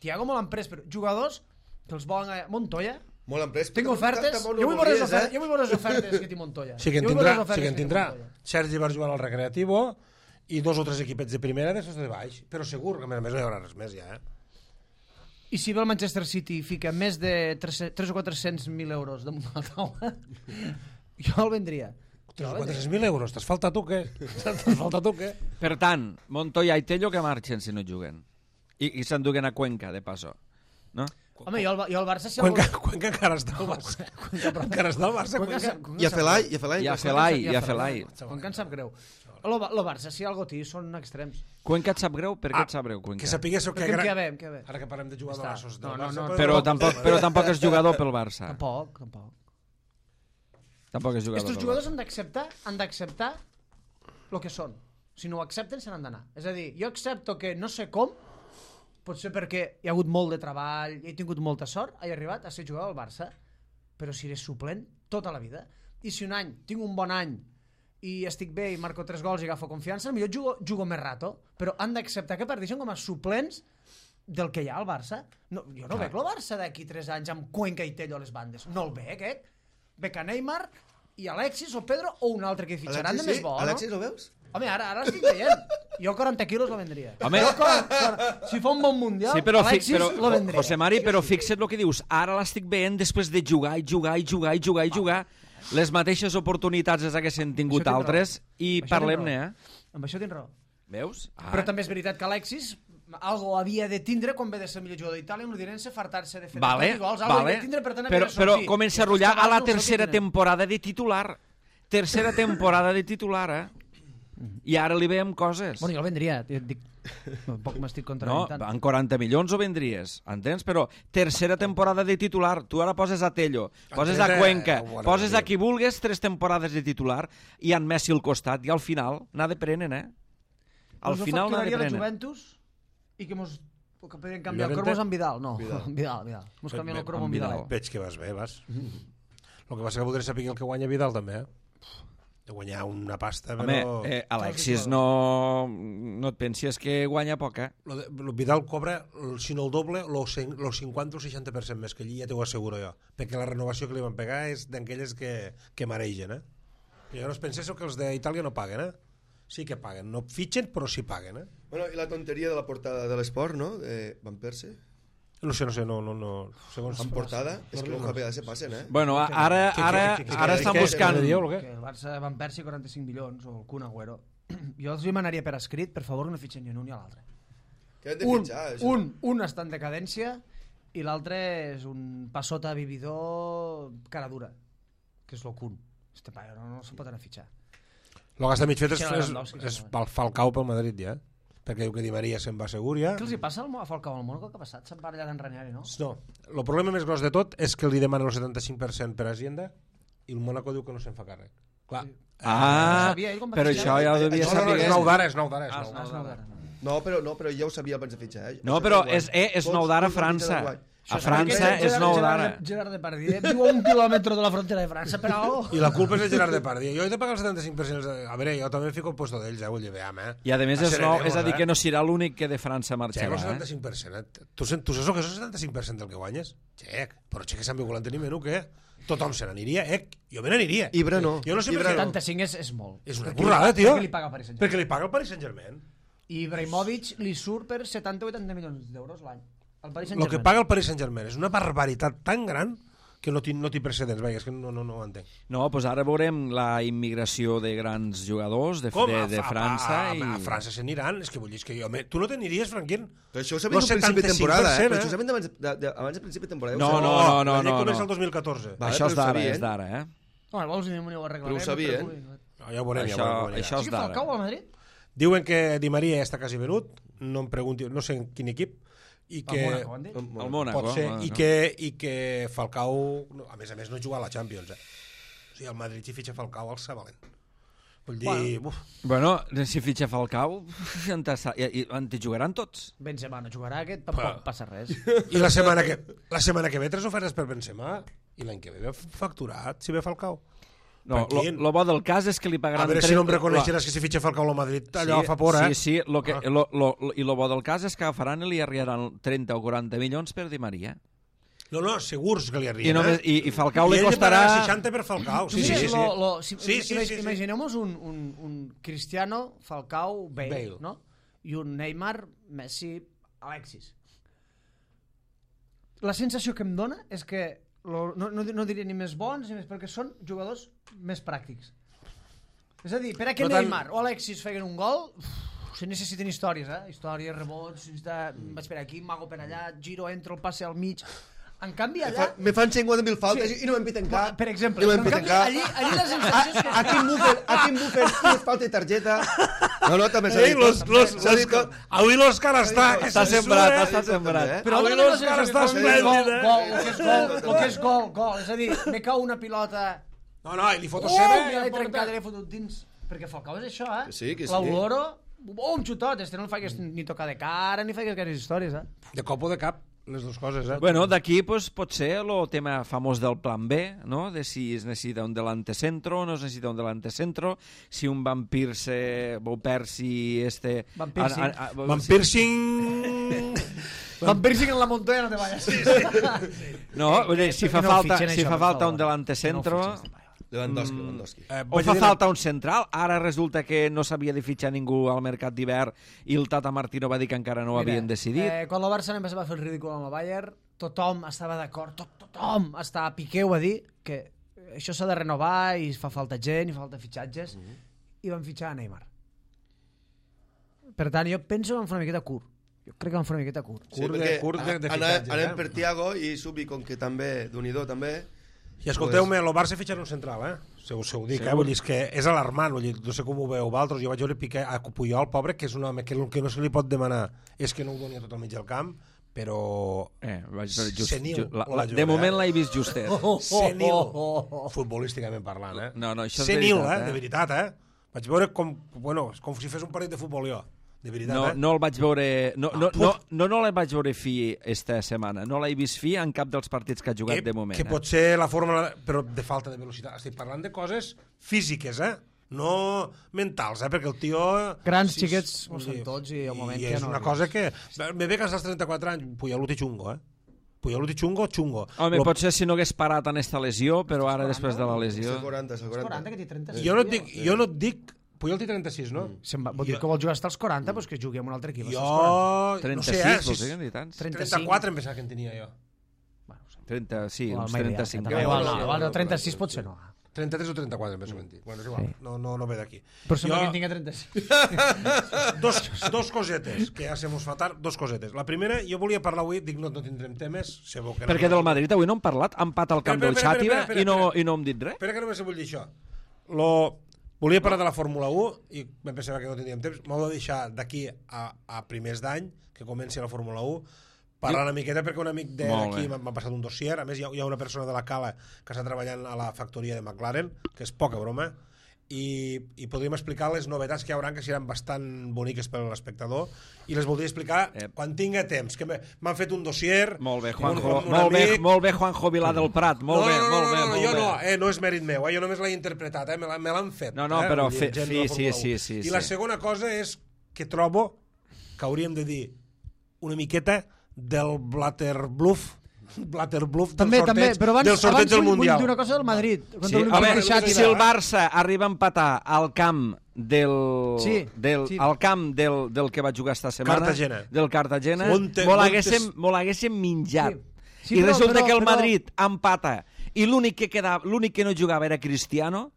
Thiago molt emprès, però jugadors que els volen... A... Montoya, Molt emprès. tinc però ofertes, tampoc jo no vull veure les volies, ofertes, eh? jo vull veure les ofertes que té Montoya. Sí que en Jo vull tindrà, veure les sí que ofertes en té tindrà. Montoya. Sergi va jugar al Recreativo i dos o tres equipets de primera d'estos de baix. Però segur que a més a més no hi haurà res més ja, eh? I si ve el Manchester City i fica més de tres o quatre-cents mil euros damunt de la taula, jo el vendria. Jo el vendria. quatre-cents mil euros, t'has faltat tu què? T'has faltat tu què? Per tant, Montoya i Tello que marxen si no juguen. I, i s'enduguen a Cuenca, de passo. No? Home, jo el, jo el Barça... Si el Cuenca, vol- Cuenca encara està al Barça. Encara està al Barça, Cuenca Cuenca. sap- Cuenca I a sap Felai, greu. i a Felai. I a que- Felai, I i a Felai. Cuenca em sap greu. El, el Barça, si algo té, són extrems. Cuenca et sap greu? Per què Ah, et sap greu, Cuenca? Que sapiguéssiu que... Perquè em gra- queda bé, em queda bé. Ara que parlem de jugadorassos del No, no, Barça... no, podem Però parlar tampoc, d'un però tema. tampoc és jugador pel Barça. Tampoc, tampoc. Tampoc és jugador Estos pel jugadors Barça. han d'acceptar han d'acceptar el que són. Si no ho accepten, se n'han d'anar. És a dir, jo accepto que no sé com, potser perquè hi ha hagut molt de treball i he tingut molta sort, he arribat a ser jugador al Barça, però si eres suplent tota la vida. I si un any tinc un bon any i estic bé i marco tres gols i agafo confiança, potser jugo, jugo més rato, però han d'acceptar que parteixen com a suplents del que hi ha al Barça. No, jo no Clar. veig el Barça d'aquí tres anys amb Cuenca i Tello a les bandes. No el veig, eh? Veig a Neymar i Alexis o Pedro o un altre que fitxaran Alexis, de més sí? bo, Alexis, no? ho veus? Home, ara, ara estic veient. Jo quaranta quilos la vendria. Home. Jo, quaranta, quaranta, si fa un bon mundial, Sí, però, fi, Alexis però la vendria. José Mari, però fixa't el que dius. Ara l'estic veient després de jugar i jugar i jugar i jugar i jugar. Les mateixes oportunitats les haguessin tingut Això tens raó. altres i Això parlem-ne, tens eh? Amb això tens raó. Veus? Ah. Però també és veritat que Alexis algo havia de tindre quan ve de ser el millor jugador d'Itàlia amb l'Udinese, fartar-se de fer Vale, de gols, algo vale. havia de tindre, per tant, però, havia de però sortir. comença a I rotllar estos a la cabals no ho tercera tindrem. temporada de titular. Tercera temporada de titular, eh? I ara li veiem coses. Bueno, jo el vendria, et dic, tampoc m'estic No, contradient tant. en quaranta milions ho vendries, entens? Però tercera temporada de titular, tu ara poses a Tello, poses a Entens, Cuenca, eh? Bueno, poses sí. a qui vulgues tres temporades de titular i en Messi al costat, i al final n'ha de prenen, eh? Al Doncs final no n'ha de facturaria la prenen. Juventus i que mos que podrien canviar el Llorente? Cromos amb Vidal. No, Vidal. Vidal, Vidal. Mos canvien el Cromo amb amb Vidal. Vidal. Veig que vas bé, vas. El que passa que voldré saber el que guanya Vidal, també, eh? de guanyar una pasta, Home, però... eh, Alexis no, no et pensis que guanya poc, eh? Lo de, lo Vidal cobra, si no el doble, lo, lo cinquanta o seixanta per cent més que allí, ja t'ho asseguro jo, perquè la renovació que li van pegar és d'aquelles que, que maregen, eh? I llavors penseu que els d'Itàlia no paguen, eh? Sí que paguen, no fitxen, però sí paguen, eh? Bueno, i la tonteria de la portada de l'esport, no? Eh, Van Persie. No sé, no sé, no... no, no. Segons... En portada, és que los J P A se passen, eh? Bueno, ara, ara, ara estan buscant... Que el Barça Van Persie quaranta-cinc milions, o el Kun Agüero. Jo els demanaria per escrit, per favor, no fitxen ni un ni l'altre. Què hem de Un, fitxar, això? un, un està en decadència i l'altre és un passota vividor cara dura, que és el Kun. Este paio no, no se'n pot anar a fitxar. El que està mig fet és, Fitxar és, Lewandowski, és sí, pel Falcao pel Madrid, ja. Perquè diu que Di Maria se'n va segur, ja. Què els hi passa al Mo- a Falcao al Mónaco? Què ha passat? Se'n va allà d'en Ranieri, no? No, el problema més gros de tot és que li demanen el setanta-cinc per cent per Hacienda i el Mónaco diu que no se'n fa càrrec. Clar. Ah, No sabia, ell com va però fitxar? això ja ho devia Això no, no, saber. És nou d'ara, és nou d'ara. és Ah, nou és d'ara. Ah, és nou d'ara. No, però, no, però ja ho sabia abans de fitxar, eh? No, Això però guany. és, eh, és Tots- nou d'ara a tots els partits França. del guany. A França Gerard- és nou Gerard- d'ara. Gerard Depardieu viu a un quilòmetre de la frontera de França, però... I la culpa és de Gerard Depardieu. Jo he de pagar el setanta-cinc per cent. A veure, jo també em fico al puesto d'ells, eh? Vull dir, veam, eh? I a més és, nou, és a dir eh? que no serà l'únic que de França Xec, marxarà. el Eh? setanta-cinc per cent. Eh? Tu, sen- tu saps el que és el setanta-cinc per cent del que guanyes? Xec, però xec que Sant Viu tenim menú, què? Tothom se n'aniria, eh? Jo me n'aniria. Ibra no. Jo no sé Ibra per què. no. setanta-cinc és, és molt. És una Perquè burrada, li- tio. Perquè li paga el Paris Saint-Germain. Perquè li paga el Paris Saint-Germain. I Ibrahimovic li surt per setanta o vuitanta milions d'euros l'any. El Paris El que Saint-Germain. paga el Paris Saint-Germain és una barbaritat tan gran que no té, no té precedents. Vaja, és que no, no, no ho entenc. No, doncs ara veurem la immigració de grans jugadors de, Com? de, A, de a, França. a, a, i... a França se n'aniran. És que vull dir, és que jo... Me... Tu no t'aniries, Franquín? Però això ho sabem Lo al principi de setanta-cinc temporada, per eh? cent, Però eh? això ho sabem abans de, de, abans de principi de temporada. No, Ho sabem. no, no, no, La llei no, comença no. el dos mil catorze. Vale, Això és però ho d'ara, sabien. és d'ara, eh? Home, vols dir ho arreglarem. Però ho sabien. perquè- No, ja ho veurem, Això- ja ho veurem. com això anirà. Sí és que d'ara. Falcao al Madrid? Diuen que Di Maria ja està quasi venut, no em pregunti, no sé en quin equip, i Al que... Mónaco, han dit? El Mónaco. Pot ser, Mónaco. i que, i que Falcao, no, a més a més, no juga a la Champions, eh? O sigui, el Madrid si fitxa Falcao el sa valent. Vull dir, bueno. Bueno, si fitxa Falcao, en te, i, en te jugaran tots. Benzema no jugarà, aquest tampoc Però- passa res. I la setmana que, la setmana que ve tres ofertes per Benzema, i l'any que ve ve facturat, si ve Falcao. No, lo, Tranquil. lo bo del cas és que li pagaran... A veure si tres- no em reconeixeràs que si fitxa Falcao al Madrid, allò sí, fa por, eh? Sí, sí, lo que, Ah. lo, lo, lo, i lo bo del cas és que agafaran i li arribaran trenta o quaranta milions per Di Maria. No, no, segurs que li I, arriben, només, eh? i, i Falcao I li ell li costarà... pagarà seixanta per Falcao. Sí, sí, sí. sí. Lo, lo, si, Sí, sí, imag- sí, sí. Imagineu-nos un, un, un Cristiano, Falcao, Bale, Bale. no? I un Neymar, Messi, Alexis. La sensació que em dona és que lo, no, no, no diré ni més bons ni més, perquè són jugadors més pràctics. És a dir, per a que No tant- Neymar o Alexis feien un gol, uf, se necessiten històries, eh? Històries, rebots, de, vaig per aquí, mago per allà, giro, entro, el passe al mig... En canvi, Me, allà... fa, me fan cinquanta mil faltes Sí. i no m'empiten cap. Per exemple, I no però en m'empiten canvi, cap. allí, allí la sensació és que... A quin bufer, a quin bufer, i es falta de targeta. No, no, també s'ha Ei, dit los, tot. los, S'ha dit tot. avui l'Òscar està... que Està se sembrat, sura, està sembrat. Eh? Però Avui dona la l'Òscar sensació està que gol, esplèndid, eh? gol, el que és gol, el que és gol, gol. És a dir, me cau una pilota... No, no, i li foto Oh, seva... ja i l'he em porta- trencat i l'he fotut dins. Perquè Falcao és això, eh? Que sí, que sí. L'Aurora, oh, un xutot, este no el faigues ni tocar de cara, ni faigues gaires històries, eh? De cop o de cap, les dues coses, eh? Bueno, d'aquí pues, pot ser el tema famós del plan B, ¿no? De si es necessita un delante centro o no es necessita un delante centro, si un Van Persie, Van Persie, este... Van Persie. a- a- a- Van Piercing... Van Piercing en la montaña, no te vayas. Sí, sí. No, vull dir, si fa que no falta, fitxen si això, fa per falta favor. un delante centro... Que no fitxen, Lewandowski, Lewandowski. Eh, O vaig fa dir- falta un central, ara resulta que no s'havia de fitxar ningú al mercat d'hivern i el Tata Martino va dir que encara no ho havien decidit. Eh, quan el Barça només va fer el ridícul amb el Bayern, tothom estava d'acord, tot, tothom està a Piqué ho va dir, que això s'ha de renovar i fa falta gent, i fa falta fitxatges, Mhm. i van fitxar a Neymar. Per tant, jo penso que van fer una miqueta curt. Jo crec que van fer una miqueta curt. Sí, Curt de- perquè curt de- de a- fitxatges, anem eh? per Thiago i Subi, com que també, d'Unidó també... I escolteu-me, el Barça fitxarà un central, eh? Se us ho dic, eh? Vull dir, és que és alarmant, vull dir, no sé com ho veu vosaltres, jo vaig veure Piqué a Puyol, pobre, que és un home que el que no se li pot demanar és que no ho doni a tot el mig del camp, però... Eh, vaig veure just, Senil, just, la, o la, la de jove, moment eh? l'he vist justet. Senil, futbolísticament parlant, eh? No, no, això és Senil, veritat, eh? eh? De veritat, eh? Vaig veure com, bueno, com si fes un partit de futbol jo, de veritat, No, eh? no el vaig veure... No, no, Ah, no, no, no el vaig veure fi esta setmana. No l'he vist fi en cap dels partits que ha jugat que, de moment. que eh? pot ser la fórmula, però de falta de velocitat. Estic parlant de coses físiques, eh? no mentals, eh? Perquè el tio... Grans sí, xiquets sí, ho són tots i al moment i que és no... una cosa que... Me ve que als trenta-quatre anys, Pujaluti xungo, eh? Pujaluti xungo, xungo. Home, Lo... potser si no hagués parat en esta lesió, però ara després de la lesió... És el quaranta, és el quaranta. quaranta, que té trenta-sis. Jo no et dic, jo no et dic Puyol té trenta-sis, no? Mm. Se'n va, vol dir que vol jugar fins als quaranta, doncs que jugui amb un altre equip. Jo... trenta-sis, no sé, eh? vols dir que en tants? trenta-quatre em pensava que en tenia jo. trenta, sí, O uns el Maidea, trenta-cinc. que igual, no, igual, no, trenta-sis potser no. trenta-tres o trenta-quatre em penso mentir. Bueno, és igual, no, no, no ve d'aquí. Però sembla Jo- que en tinga trenta-sis. Dos, dos cosetes, que ja se mos fa tard, dos cosetes. La primera, jo volia parlar avui, dic, no, no tindrem temes, sé bo que no. Perquè del Madrid avui no hem parlat, ha empat al camp Espera, del espera, Xàtiva espera, espera, i, no, espera. i no hem dit res. Espera que només vull dir això. Lo... Volia parlar de la Fórmula un i em pensava que no tindríem temps. M'ho de deixar d'aquí a, a primers d'any, que comenci la Fórmula un, parlar una miqueta perquè un amic Molt d'aquí bé. m'ha passat un dossier. A més, hi ha, hi ha una persona de la Cala que està treballant a la factoria de McLaren, que és poca broma, i, i podríem explicar les novetats que hi haurà, que seran bastant boniques per a l'espectador, i les voldria explicar Eh. quan tinga temps, que m'he- m'han fet un dossier. Molt bé, un- Juanjo, un molt bé, amic. molt bé, Juanjo Vilà del Prat, molt no, bé, no, no, molt bé, no, no, molt jo bé. no, eh, no és mèrit meu, eh, jo només l'he interpretat, eh, me la- me l'han fet. No, no, eh, però vull dir, fe- gent de sí, la sí, Fórmula sí, un. sí, I sí. la segona cosa és que trobo que hauríem de dir una miqueta del Blatterbluff, Blatterbluff del També, sorteig, també, però abans, del sorteig abans del vull, vull Mundial. dir una cosa del Madrid. Sí, Contra a l'Olympique veure, de Xàtiva. si el Barça arriba a empatar al camp del, Sí, del, sí. al camp del, del que va jugar esta setmana, Cartagena. del Cartagena, On te- mos on l'haguéssim te- mos l'haguéssim minjat. Sí. Sí, I però- resulta però- que el però- Madrid empata i l'únic que quedava, l'únic que no jugava era Cristiano,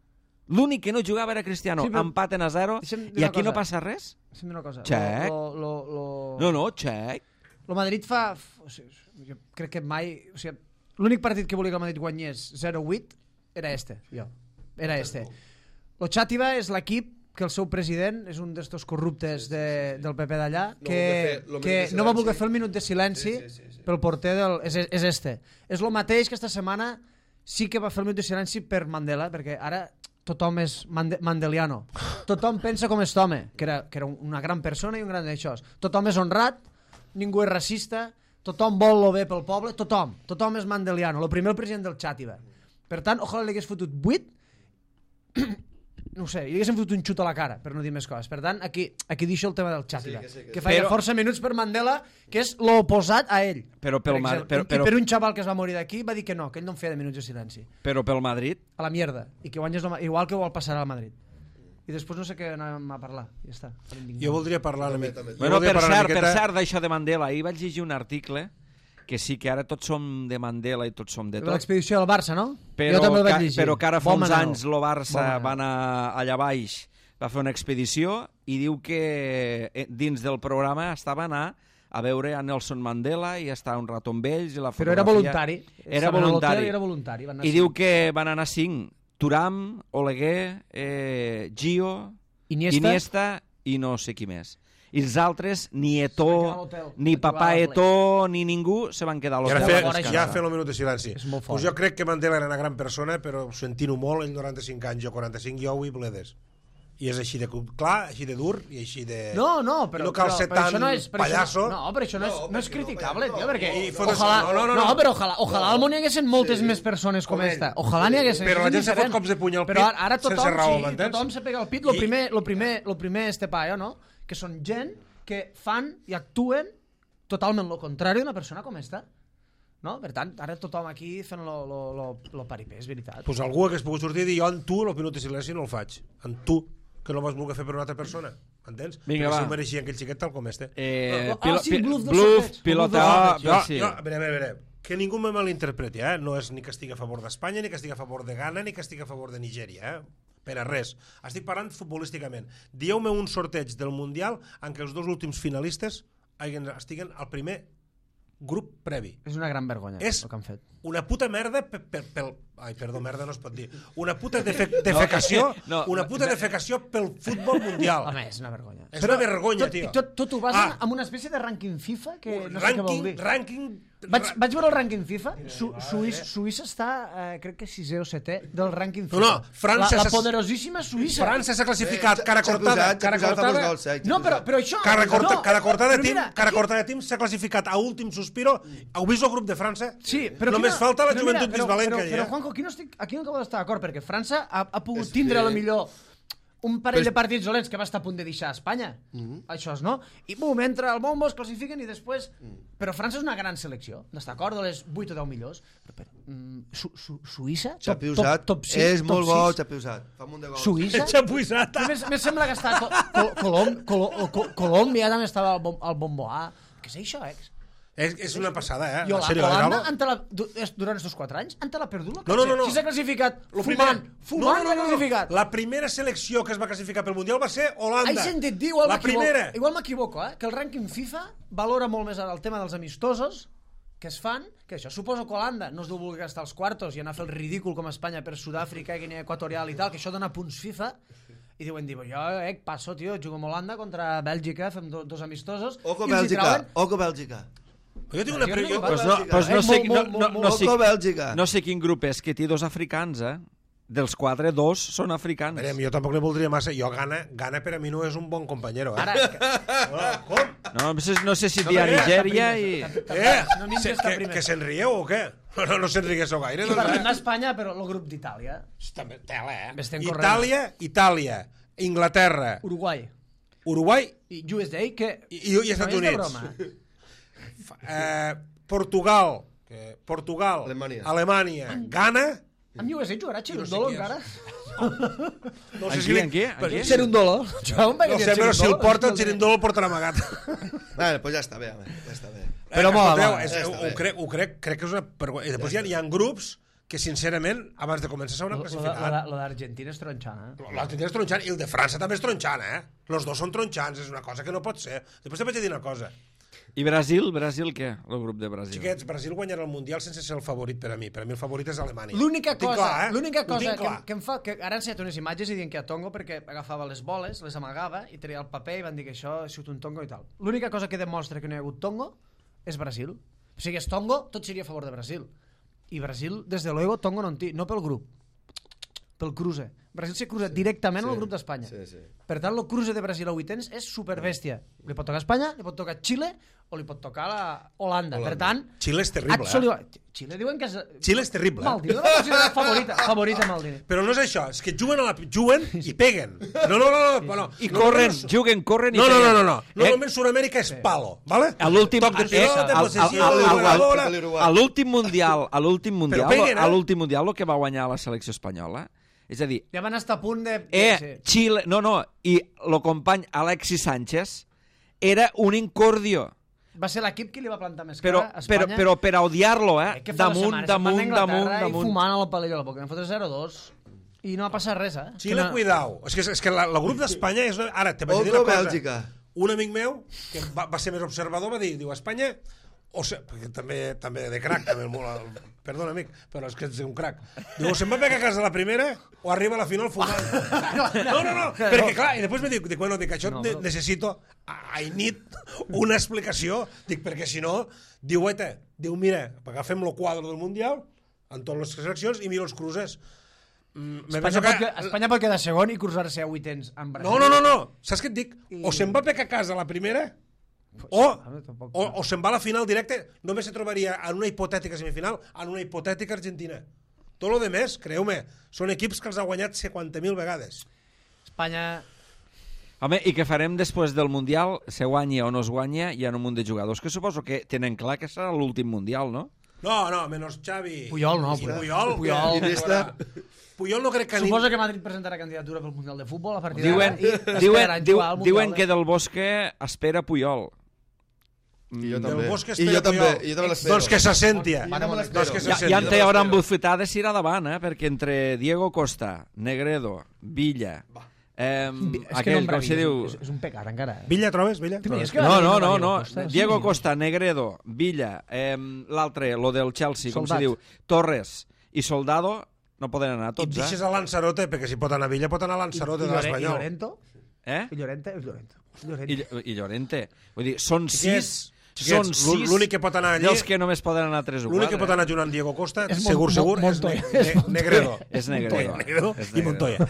l'únic que no jugava era Cristiano, Sí, però- empaten a zero, Deixa'm dir i una aquí no cosa. passa res? Deixa'm dir una cosa. Check. Lo, lo, lo, No, no, xec. Lo Madrid fa... O sigui, jo crec que mai... O sigui, l'únic partit que volia que el Madrid guanyés zero vuit era este, jo. Era este. Lo Xàtiva és l'equip que el seu president és un d'estos corruptes de, del P P d'allà No que, va voler fer lo que minut de no va silenci. voler fer el minut de silenci Sí, sí, sí, sí. pel porter del... És, és este. És el mateix que esta setmana sí que va fer el minut de silenci per Mandela, perquè ara tothom és mande mandeliano. Tothom pensa com aquest home, que era, que era una gran persona i un gran d'això. Tothom és honrat, ningú és racista, tothom vol lo bé pel poble, tothom. Tothom és mandeliano. El primer el president del Xàtiva. Per tant, ojalà li hagués fotut vuit, no ho sé, li haguessin fotut un xut a la cara, per no dir més coses. Per tant, aquí, aquí deixo el tema del Xàtiva, que sí, que sí. que feia Però- força minuts per Mandela, que és l'oposat a ell. Però pel per Ma- exemple. però- I però- per un xaval que es va morir d'aquí va dir que no, que ell no en feia de minuts de silenci. Però pel Madrid, A la mierda. I que guanyes el- igual que vol passar al Madrid. I després no sé què anàvem a parlar. Ja està. Jo voldria parlar una mica... també. jo bueno, voldria per parlar una cert, per miqueta- cert, d'això de Mandela, ahir vaig llegir un article que sí que ara tots som de Mandela i tots som de tot, L'expedició del Barça, no? però, jo també el vaig que, llegir. però que ara fa Bon uns Manel. anys el Barça Bon Manel. va anar allà baix, va fer una expedició i diu que eh, dins del programa estava anar a veure a Nelson Mandela i estar un rato amb ells i la Però era fotografia... voluntari. Era Estaven a l'hotel voluntari. i era voluntari. Van anar I cinc. diu que van anar cinc. Turam, Oleguer, eh, Gio, Iniesta. Iniesta i no sé qui més. I els altres, ni Se van quedar a Eto'o, l'hotel. ni A trobar Papà la Eto'o, ni ningú se van quedar a I ara l'hotel. fer, a fora, descansar. ja fer el minut de silenci. És molt Pues fort. jo crec que Mandela era una gran persona, però sentint-ho molt, ell noranta-cinc anys, jo quaranta-cinc, jo avui bledes. I és així de clar, així de dur i així de... No, no, però, I no cal però, ser però això tan no és, però pallasso. Això no, no, però això no és, No, no és perquè no, criticable, no, tio, perquè I fotre- ojalà, no, no, no, no. no, però ojalà, ojalà al món hi haguessin moltes Sí. més persones com Com ell. esta. Ojalà n'hi haguessin. Però això la és gent se fot indiferent. cops de puny al Però pit ara, ara tothom, sense raó, sí, m'entens? tothom se pega al pit. Lo I- primer, lo primer, lo primer este paio, no? Que són gent que fan i actuen totalment lo contrari d'una persona com esta. No? Per tant, ara tothom aquí fent lo, lo, lo, lo paripé, és veritat. Pues algú hagués pogut sortir i dir jo en tu el minut de silenci no el faig. En tu, que no vas voler fer per una altra persona. Entens? Vinga, Perquè va. si ho mereixia aquell xiquet tal com este. Eh, Ah, pilo, sí, pi- bluff del bluff, sorteig. pilota... Bluff del Ah, sorteig. Jo, sí. jo, a veure, a veure, a veure, que ningú me malinterpreti, eh? No és ni que estigui a favor d'Espanya, ni que estigui a favor de Ghana, ni que estigui a favor de Nigèria, eh? Per a res. Estic parlant futbolísticament. Dieu-me un sorteig del Mundial en què els dos últims finalistes hagin, estiguen al primer grup previ. És una gran vergonya És- el que han fet. Una puta merda per, per, pel... Ai, perdó, merda no es pot dir. Una puta defe, defecació, no, una puta defecació pel futbol mundial. Home, és una vergonya. És una vergonya, tot, tio. Tot, tot ho basen Ah. ah. en una espècie de rànquing FIFA que no sé què vol Ranking, dir. ranking... Vaig, vaig veure el rànquing FIFA. Su, Suïssa, Suïssa està, eh, crec que sisè o setè del rànquing FIFA. No, no, França La, la s'ha- poderosíssima Suïssa. França s'ha classificat, Eh, cara s'ha cortada, posat, s'ha cara posat amb els cortada, gols, eh, No, però, però això... cara, corta, no, cara cortada però team, mira, cara aquí- cortada team s'ha classificat a últim sospiro. Heu vist el grup de França? Sí, però Només quina- falta la però joventut mira, però, bisbalenca. però, però, eh? Juanjo, aquí no, estic, aquí no acabo d'estar d'acord, perquè França ha, ha pogut És tindre, a que- lo millor, un parell Però- de partits dolents que va estar a punt de deixar a Espanya. Mhm. Això és, no? I bum, entra al bombo, es classifiquen i després... Però França és una gran selecció, d'estar d'acord, de les vuit o deu millors. Però, però, mm, Su Su Suïssa? Top, Xapi top, Usat top sis, és top molt bo, sis. Xapi Usat. Fa un munt de gols. Suïssa? Xapuisat. A més, més sembla que està... Col Col Colom Col Col Colòmbia també estava al, bom al bomboà. Què és això, ex? És, és una passada, eh? I En sèrio, Holanda, Galo? ante la, du- es- durant estos quatre anys, ante la perdut, No, no, no, no. Si s'ha classificat Lo fumant, primer- fumant no, no, s'ha no, no. classificat. La primera selecció que es va classificar pel Mundial va ser Holanda. He sentit dir, igual la m'equivoco, primera. igual m'equivoco, eh? Que el rànquing FIFA valora molt més el tema dels amistosos que es fan, que això, suposo que Holanda no es deu voler gastar els quartos i anar a fer el ridícul com a Espanya per Sud-àfrica i Guinea Equatorial i tal, que això dona punts FIFA, i diuen, diu, jo, eh, passo, tio, jugo amb Holanda contra Bèlgica, fem do, dos amistosos, Oco i els hi Bèlgica, trauen... oco Bèlgica. Jo tinc una... Jo Pre... dic, Jo... va, Pues no, pues no, Eh, sé, molt, no, molt, no, molt, no, Oco sé, Bèlgica. no sé quin grup és, que té dos africans, eh? Dels quatre, dos són africans. Verem, jo tampoc li voldria massa. Jo, Gana, Gana per a mi no és un bon companyero, eh? Ara, No, com? No, no sé, no sé si No, dir a perquè Nigèria i... Eh? No m'hi Se, està que primer. que se'n rieu o què? No, no, no se'n riguéssiu gaire. i Doncs, parlem eh? d'Espanya, però el grup d'Itàlia, També, tela, eh? Estem corrent. Itàlia, Itàlia, Inglaterra, Uruguai Uruguai i U S A, que i, i, i Estats no és de Units. broma. Eh, Portugal, que, Portugal, Alemanya. Alemanya, Ghana, Amb U S A jugarà no sé Cherundolo qui és. encara? no En sé qui, li- en qui? En qui? Cherundolo? No sé, però si el porta el Xerindolo el portarà amagat. Vale, pues ja està bé, home, ja està bé. Però mola, Escolteu, mola. és, Ja està ho, bé. crec, ho crec, crec que és una vergonya. I després hi ha, hi ha grups que, sincerament, abans de començar s'hauran classificat. Lo d'Argentina és tronxana. eh? L'Argentina és tronxant i el de França també és tronxant, eh? Los dos són tronxants, és una cosa que no pot ser. Després te vaig a dir una cosa. I Brasil? Brasil què? El grup de Brasil. Xiquets, Brasil guanyarà el Mundial sense ser el favorit per a mi. Per a mi el favorit és Alemanya. L'única Ho tinc cosa, clar, eh? l'única Ho cosa tinc que, clar. que em fa... Que ara han ensenyat unes imatges i diuen que a Tongo perquè agafava les boles, les amagava i treia el paper i van dir que això ha sigut un Tongo i tal. L'única cosa que demostra que no hi ha hagut Tongo és Brasil. O sigui, és Tongo, tot seria a favor de Brasil. I Brasil, des de luego, Tongo no en té, no pel grup, pel cruce. Brasil se cruza directament sí, al grup d'Espanya. sí, sí. Per tant, el cruce de Brasil a vuitens és superbèstia. Li pot tocar Espanya, li pot tocar Xile o li pot tocar la Holanda. Per tant, Xile és terrible, absolut... Xile diuen que és... Xile és terrible, eh? Maldini, la considera favorita, favorita Maldini. Però no és això, és que juguen, a la, juguen i peguen. No, no, no, no, no. I no, corren, no, no, juguen, corren i No, no, no, peguen. no, no. Eh, Normalment Sud-amèrica és palo, ¿vale? A l'últim Toc de eh, pilota, al- possessió, al- al- jugadora. al- al- a l'últim mundial, a l'últim mundial, peguen, eh? a l'últim mundial el que va guanyar la selecció espanyola, és a dir, Ja van estar a punt de... eh, sí. Xile, no, no, i el company Alexis Sánchez era un incordio, Va ser l'equip que li va plantar més però, cara a però, Espanya. però per a odiar-lo, eh? Eh, que fa dues Damunt, setmanes se'n van damunt, a Anglaterra damunt, I damunt. fumant a la palella, perquè van fotre zero dos i no ha passat res, eh? Xile, Que no... cuidao. És que, és que la, el grup d'Espanya és... Una... Ara, te vaig dir Oco una cosa. Bèlgica. Un amic meu, que va, va ser més observador, va dir, diu, Espanya... O se... perquè també, també de crac, també, molt, perdona, amic, però és que ets un crac. Diu, o se'n va pegar a casa la primera o arriba a la final fumant. No, no, no, perquè clar, i després me dic, dic bueno, dic, això No, ne però- necessito, I need una explicació, dic, perquè si no, diu, guaita, diu, mira, agafem el quadre del Mundial, en totes les seleccions, i mira els cruces. Mm, me Espanya, penso pot, que... Espanya pot quedar segon i cruzar-se a vuitens amb Brasil. No, no, no, no, saps què et dic? O se'n va pegar a casa la primera, o, tampoc. o, o se'n va a la final directe, només se trobaria en una hipotètica semifinal, en una hipotètica Argentina. Tot lo de més, creu-me, són equips que els ha guanyat cinquanta mil vegades. Espanya... Home, i què farem després del Mundial? Se guanya o no es guanya, hi ha un munt de jugadors que suposo que tenen clar que serà l'últim Mundial, no? No, no, menys Xavi. Puyol no, I Puyol. Puyol. Puyol. que- Iniesta. Puyol no crec que... ni- Suposo que Madrid presentarà candidatura pel Mundial de Futbol a partir Diuen, d'ara i diuen, esperaran diu, jugar al Mundial diuen de- que Del Bosque espera Puyol. I jo Del també. Bosque I jo espera també, Puyol. i jo també l'espero. Doncs que se senti. I jo també Doncs l'espero. que se Ja, senti. ja en té hauran bufetades i irà davant, eh? Perquè entre Diego Costa, Negredo, Villa, eh, És que aquell, nombrar com se Villa diu... És, és un pecat, encara. Eh? Villa, trobes, Villa? Tu mires que No, va no, dir no, Diego no. Costa, sí, Diego sí. Costa, Negredo, Villa, eh, l'altre, lo del Chelsea, com Soldat. se diu, Torres i Soldado, no poden anar I tots, deixes eh? a Lanzarote, perquè si pot anar a Villa, pot anar a Lanzarote I, de Llore- I l'Espanyol. Llorento? Eh? I Llorente? I Llorento. Llorente. I, Ll- I Llorente. Vull dir, són Xiquets, sis... xiquets, Són sis l'únic que pot anar allí- dels que només poden anar tres o L'únic que quatre. pot anar junt amb Diego Costa, És segur, Mon- segur, Mon- és, Montoya. ne És ne Negredo. És Negredo. Negredo És i Negredo. Montoya.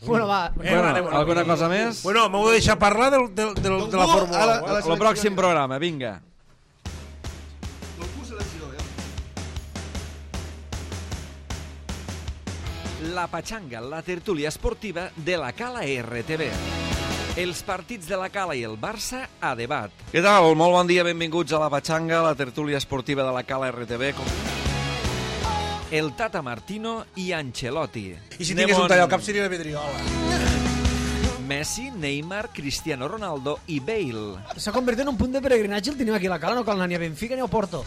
Bueno, va. Eh, Bueno, anem, anem. alguna cosa més? Bueno, m'heu de deixar parlar del, del, del, de la Algú, Fórmula a la- u. a la- El pròxim programa, vinga. La Patxanga, la tertúlia esportiva de la Cala R T V. Els partits de la Cala i el Barça a debat. Què tal? Molt bon dia, benvinguts a La Patxanga, la tertúlia esportiva de la Cala R T V. Com... El Tata Martino i Ancelotti. I si tingués un tall al cap seria la vidriola. Messi, Neymar, Cristiano Ronaldo i Bale. S'ha convertit en un punt de peregrinatge, el tenim aquí a la Cala, no cal anar ni a Benfica ni a Porto.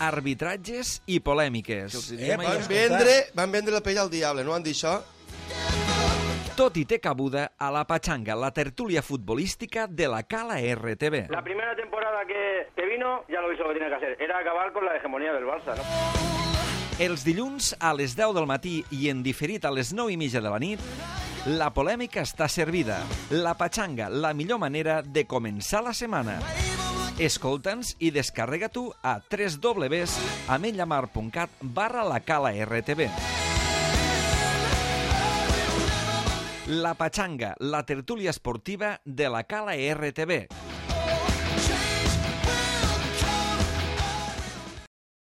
Arbitratges i polèmiques. Eh, Van vendre, van vendre la pell al diable, no van dir això? Tot i té cabuda a La Patxanga, la tertúlia futbolística de la Cala R T V. La primera temporada que, que vino ya lo hizo lo que tenía que hacer. Era acabar con la hegemonía del Barça, ¿no? Els dilluns a les deu del matí i en diferit a les nou i mitja de la nit, la polèmica està servida. La Patxanga, la millor manera de començar la setmana. Escolta'ns i descarrega-t'ho a w w w punt ametlllamar punt cat barra la Cala R T V. La Patxanga, la tertúlia esportiva de la Cala R T V.